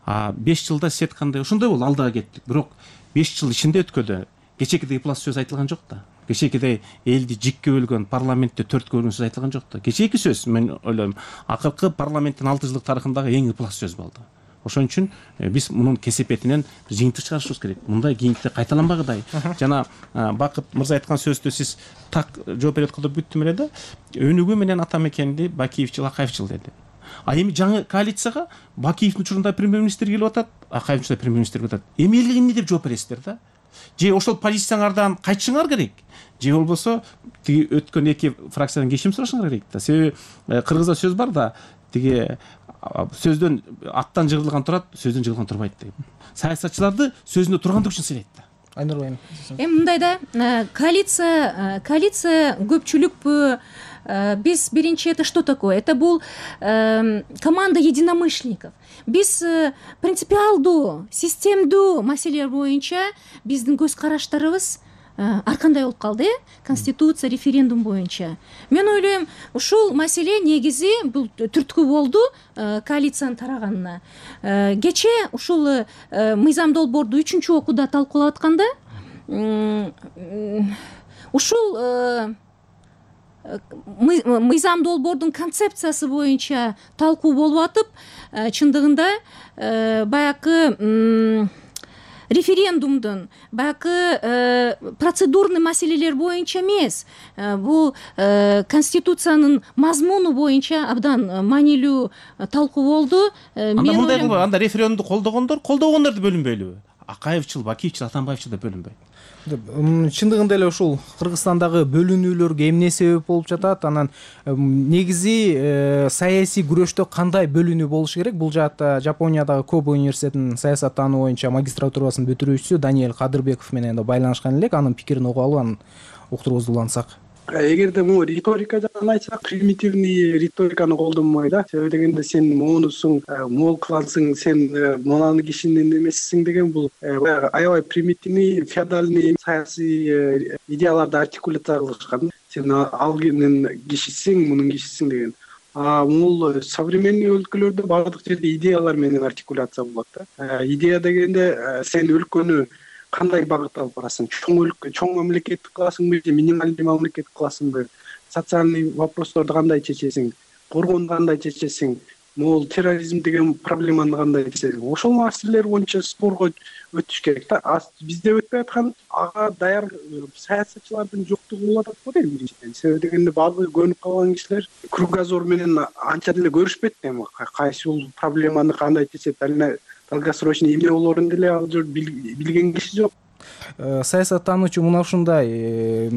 5 жылда сиз айткандай ошондой болду, алдыга кеттик. Бирок 5 жыл ичинде өткөдө кечээкидей пласт сөз айтылган жок да. Кечээкидей элди жикке бөлгөн, парламентте 4 бөлгөн сөз айтылган жок да. Кечээки сөз мен ойлойм, акыркы парламенттин 6 жылдык тарыхындагы эң пласт сөз болду. Ошон үчүн биз мунун кесепетинен жыйынтык чыгарышыбыз керек. Мындай кийинкиде кайталанбагыдай. Жана Бакыт мырза айткан сөздү сиз так жооп берет кылып бүттүм эле да. Өнүгүү менен ата мекенди Бакиевчил, Акаевчил деди. Эми жаңы коалицияга Бакиевдин учурунда премьер-министр келип атат, Акаевчил премьер-министр келип атат. Эми элге эмне деп жооп бересиздер да? Же ошол позициялардан кайтышыңар керек, же болбосо тиги өткөн эки фракциядан кечирим сурашыңар керек да. Себеби кыргызда сөз бар да, тиги сөздөн аттан жыгылган турат, сөздөн жыгылган турбайт деп. Саясатчыларды сөзүндө тургандык үчүн сыйлайт да. Айнур Байым. Мындай да, коалиция көпчүлүкпү? Биз биринчи это что такое? Это бул команда единомышленников. Биз принципиалдуу, системдүү маселелер боюнча биздин көз караштарыбыз ар кандай болуп калды, конституция, референдум боюнча. Мен ойлойм, ушул маселе негизи бул түрткү болду коалициянын тараганына. Кечээ ушул мыйзам долбоорду 3-чү окууда талкуулап атканда, ушул мыйзам долбоордун концепциясы боюнча талкуу болуп атып, чындыгында баягы референдумдун баягы процедурный маселелер боюнча эмес, бул конституциянын мазмуну боюнча абдан маанилүү талкуу болду. Анда мындай кылбайбы, анда референдумду колдогондорду бөлүнбөйлүбү? Акаевчил, Бакиевчил, Атамбаевчил деп бөлүнбөйт. Чындыгында эле ушул Кыргызстандагы бөлүнүүлөргө эмне себеп болуп жатат? Анан негизи саясий күрөштө кандай бөлүнүү болуш керек? Бул жаатта Жапониядагы Кобе университетинин саясаттануу боюнча магистратурасынын бүтүрүүчүсү Даниэль Кадырбеков менен да байланышкан элек. Анын пикирин угуп алып, анын уктурубузду улантсак. Эгерде могу риторика жагын айтсак, примитивный риториканы колдонбой да. Себеби дегенде сен моунусуң, могул кылансың, сен мынаны кишинин эмесисиң деген бул аябай примитивный, феодальный саясий идеяларды артикуляция кылышкан. Сен алгынын кишисиң, мунун кишисиң деген. Бул современный өлкөлөрдө баардык жерде идеялар менен артикуляция болот да. Идея дегенде сен өлкөнү кандай багыт алып барасың? Чоң мамлекет кыласыңбы же минималдуу мамлекет кыласыңбы? Социальный вопросторду кандай чечесиң? Коргонду кандай чечесиң? Могул терроризм деген проблеманы кандай чечесиң? Ошол маселелер боюнча спорго өтүш керек да. Бизде өтпөй аткан ага даяр саясатчылардын жоктугу болуп атат го дейм биринчиден. Себеби дегенде баардыгы көнүп калган кишилер кругозор менен анча деле көрүшпөйт эми. Кайсыл проблеманы кандай чечет, долгосрочный эмне болоорун деле ал жер билген киши жок. Саясаттануучу мына ушундай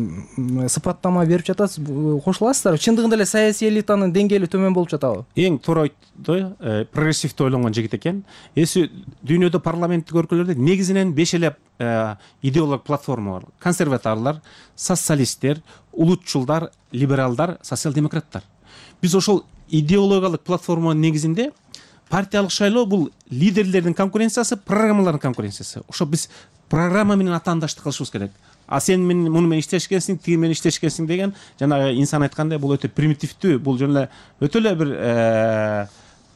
сыпаттама берип жатасыз, кошуласыздарбы? Чындыгында эле саясий элитанын деңгээли төмөн болуп жатабы? Эң туура айтты, прогрессивдүү ойлонгон жигит экен. Эси дүйнөдө парламенттик өлкөлөрдө негизинен 5 эле идеологик платформа бар. Консерваторлор, социалисттер, улутчулдар, либералдар, социал-демократтар. Биз ошол идеологиялык платформанын негизинде партиялык шайлоо бул лидерлердин конкуренциясы, программалардын конкуренциясы. Ошо биз программа менен атаандаштык кылышыбыз керек. Сен муну менен иштешкенсиң, тиги менен иштешкенсиң деген жанагы инсан айткандай бул өтө примитивдүү, бул жөн эле өтө эле бир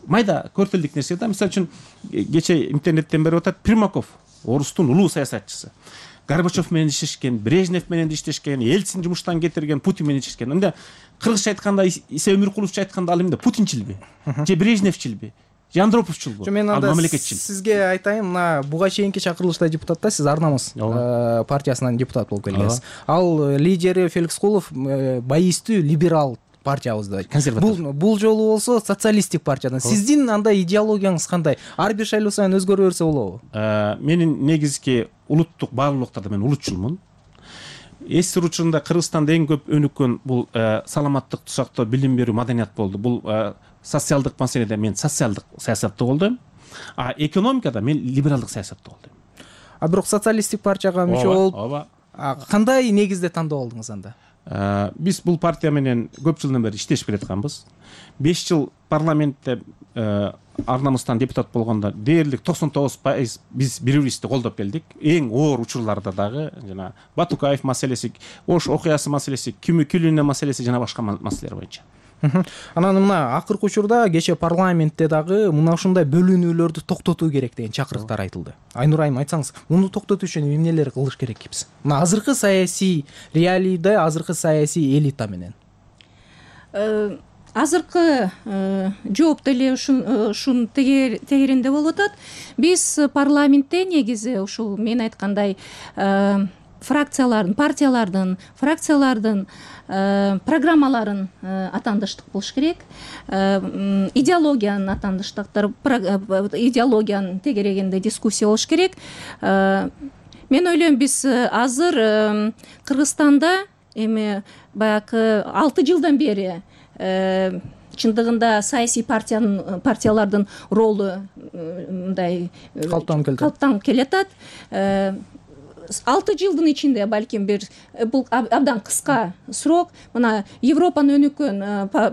майда көртөлдүк нерсе да. Мисалы үчүн кечээ интернеттен берип атат Примаков, орустун улуу саясатчысы. Горбачев менен иштешкен, Брежнев менен иштешкен, Ельцин жумуштан кетирген, Путин менен иштешкен. Анда кыргызча айтканда Иса Өмүркуловчу айтканда ал эмне, Путинчилби же Брежневчилби? Андроповчул бу. Мен анда сизге айтайын, мына буга чейинки чакырылышта депутатта сиз Ар намыс партиясынан депутат болуп келгенсиз. Ал лидери Феликс Кулов байистүү либерал партиябызда. Бул жолу болсо социалисттик партиядан. Сиздин андай идеологияңыз кандай? Ар бир шайлоо сайын өзгөрө берсе болобу? Менин негизги улуттук баалуулуктарда мен улутчулмун. Эс учурунда Кыргызстанда эң көп өнүккөн бул саламаттыкты сактоо, билим берүү, маданият болду. Бул социалдык маселеде мен социалдык саясатты колдойм. Экономикада мен либералдык саясатты колдойм. Бирок социалисттик партияга мүчө болуп, кандай негизде тандоо болдуңуз анда? Биз бул партия менен көп жылдан бери иштешип келатканбыз. 5 жыл парламентте Ар намыстан депутат болгондо дээрлик 99% биз бири-бирибизди колдоп келдик. Эң оор учурларда дагы жана Батукаев маселеси, Ош окуясы маселеси, Күлүнө маселеси жана башка маселелер боюнча. Анан мына акыркы учурда кече парламентте дагы мына ушундай бөлүнүүлөрдү токтотуу керек деген чакырыктар айтылды. Айнур айым, айтсаңыз, муну токтотуу үчүн эмнелер кылыш керек кипсиз? Мына азыркы саясий реалийде, азыркы саясий элита менен. Азыркы жооп деле ушун тегеринде болуп атат. Биз парламентте негизи ушул мен айткандай партиялардын программаларын атандыштык болуш керек. Идеологиянын атандыштыктар, идеологиянын тегерегинде дискуссия болуш керек. Мен ойлойм, биз азыр Кыргызстанда эми баягы 6 жылдан бери чындыгында саясий партиялардын ролу мындай калыптанып келатат. 6 жылдын ичинде балким бул абдан кыска срок. Мына Европанын өнүккөн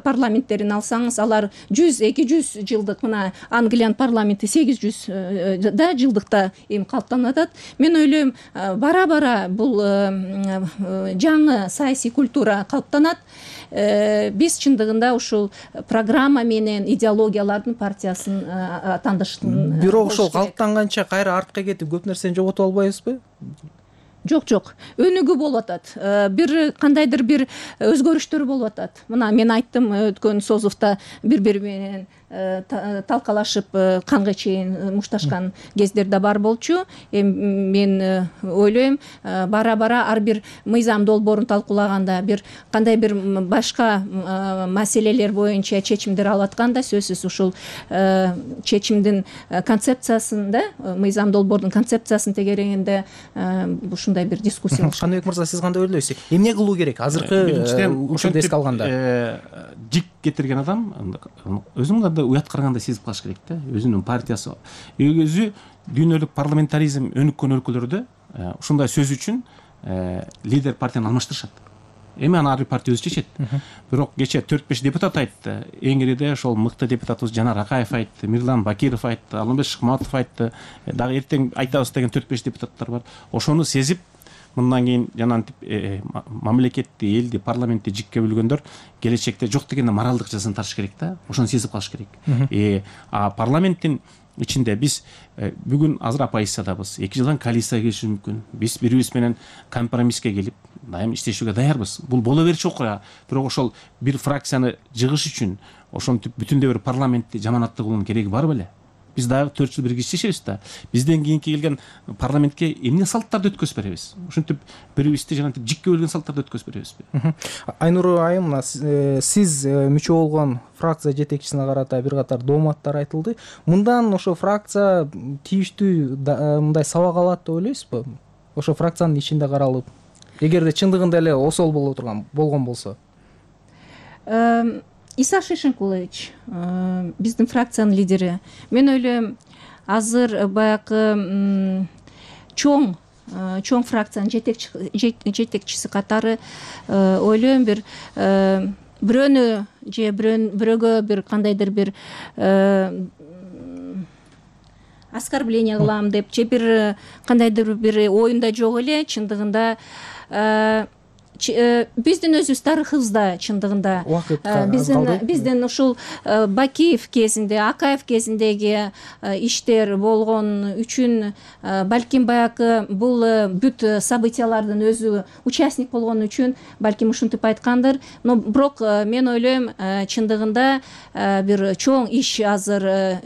парламенттерин алсаңыз, алар 100-200 жылдык, мына Англиянын парламенти 800 да жылдыкта эми калыптанып атат. Мен ойлойм, бара-бара бул жаңы саясий культура калыптанат. Биз чындыгында ушул программа менен идеологиялардын партиясын атандыштын. Бирок ошол калыптанганча кайра артка кетип көп нерсени жоготуп албайбызбы? Жок. Өнүгүү болуп атат. Бир кандайдыр бир өзгөрүштөр болуп атат. Мына мен айттым, өткөн Созовто бири-бири менен талкалашып канга чейин мушташкан кездер да бар болчу. Мен ойлойм, бара-бара ар бир мыйзам долбоорун талкуулаганда, бир кандай бир башка маселелер боюнча чечимдер алып атканда, сөзсүз ушул чечимдин концепциясын да, мыйзам долбоордун концепциясын тегерегинде ушундай бир дискуссия болуш. Каныбек мырза, сиз кандай ойлойсуз? Эмне кылуу керек азыркы ушундай эске алганда? Жик кетирген адам өзүнүн да уят караганда сезип калыш керек да. Өзүнүн партиясы, өзү дүйнөлүк парламентаризм өнүккөн өлкөлөрдө ушундай сөз үчүн лидер партияны алмаштырышат. Эми аны ар бир партия өзү чечет. Бирок кече 4-5 депутат айтты. Эңириде ошол мыкты депутатыбыз Жанар Акаев айтты, Мирлан Бакиров айтты, Алымбек Шыкматов айтты. Дагы эртең айтабыз деген 4-5 депутаттар бар. Ошону сезип, мындан кийин жанантип мамлекетти, элди, парламентти жикке бөлгөндөр келечекте жок дегенде моралдык жазаны тартыш керек да. Ошону сезип калыш керек. Парламенттин ичинде биз бүгүн азыр оппозициядабыз. 2 жылдан коалицияга келиши мүмкүн. Биз бири-бирибиз менен компромисске келип, дайым иштешүүгө даярбыз. Бул боло берчү окуя. Бирок ошол бир фракцияны жыгыш үчүн ошентип бүтүндөй бир парламентти жаманаттуу кылуунун кереги бар беле? Биз дагы 4 жыл бирге иштешебиз да. Бизден кийинки келген парламентке эмне салттарды өткөзүп беребиз? Ошентип бирибизди жанагы жикке бөлгөн салттарды өткөзүп беребизби? Айнур айым, сиз мүчө болгон фракция жетекчисине карата бир катар дооматтар айтылды. Мындан ошо фракция тийиштүү мындай сабак алат деп ойлойсузбу? Ошо фракциянын ичинде каралып, эгерде чындыгында эле осол болгон болсо. Иса Шишинкулович, биздин фракциянын лидери. Мен ойлойм, азыр баягы чоң фракциянын жетекчиси катары ойлойм, бир бирөөнү же бирөөгө бир кандайдыр бир оскорбление кылам деп же бир кандайдыр бир оюнда жок эле, чындыгында биздин өзүбүз тарыхыбызда чындыгында биздин ушул Бакиев кезинде, Акаев кезиндеги иштер болгон үчүн балким баягы бул бүт событиялардын өзү участник болгон үчүн балким ушинтип айткандыр. Но бирок мен ойлойм чындыгында бир чоң иш азыр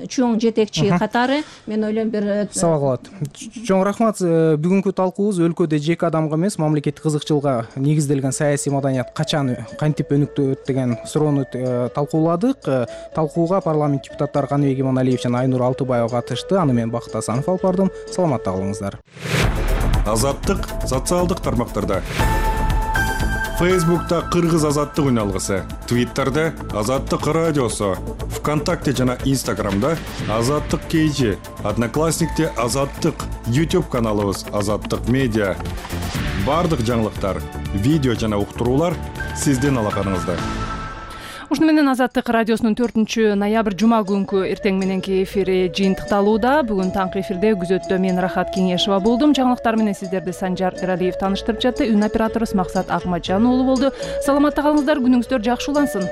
чоң жетекчи катары мен ойлойм бир сабак болот. Чоң рахмат. Бүгүнкү талкуубуз өлкөдө жеке адамга эмес мамлекеттик кызыкчылыкка негизделген саясий маданият качан кантип өнүктөт деген суроону талкууладык. Талкууга парламент депутаттары Каныбек Иманалиев жана Айнур Алтыбаева катышты. Аны мен Бакыт Асанов алып бардым. Саламатта калыңыздар. Азаттык социалдык тармактарда. Фейсбукта Кыргыз азаттык үналгысы, Твиттерде Азаттык радиосу, ВКонтакте жана Инстаграмда Азаттык KG, Одноклассникте Азаттык, YouTube каналыбыз Азаттык медиа. Бардык жаңылыктар, видео жана уктуруулар сиздин алаканыңызда. Ушуну менен Азаттык радиосунун 4 ноябрь жума күнкү эртең мененки эфири жыйынтыкталууда. Бүгүн таңкы эфирде күзөттө мен Рахат Кеңешова болдум. Жаңылыктар менен сиздерди Санжар Эралиев тааныштырып жатты. Үн операторубуз Максат Акматжан уулу болду. Саламатта калыңыздар, күнүңүздөр жакшы улансын.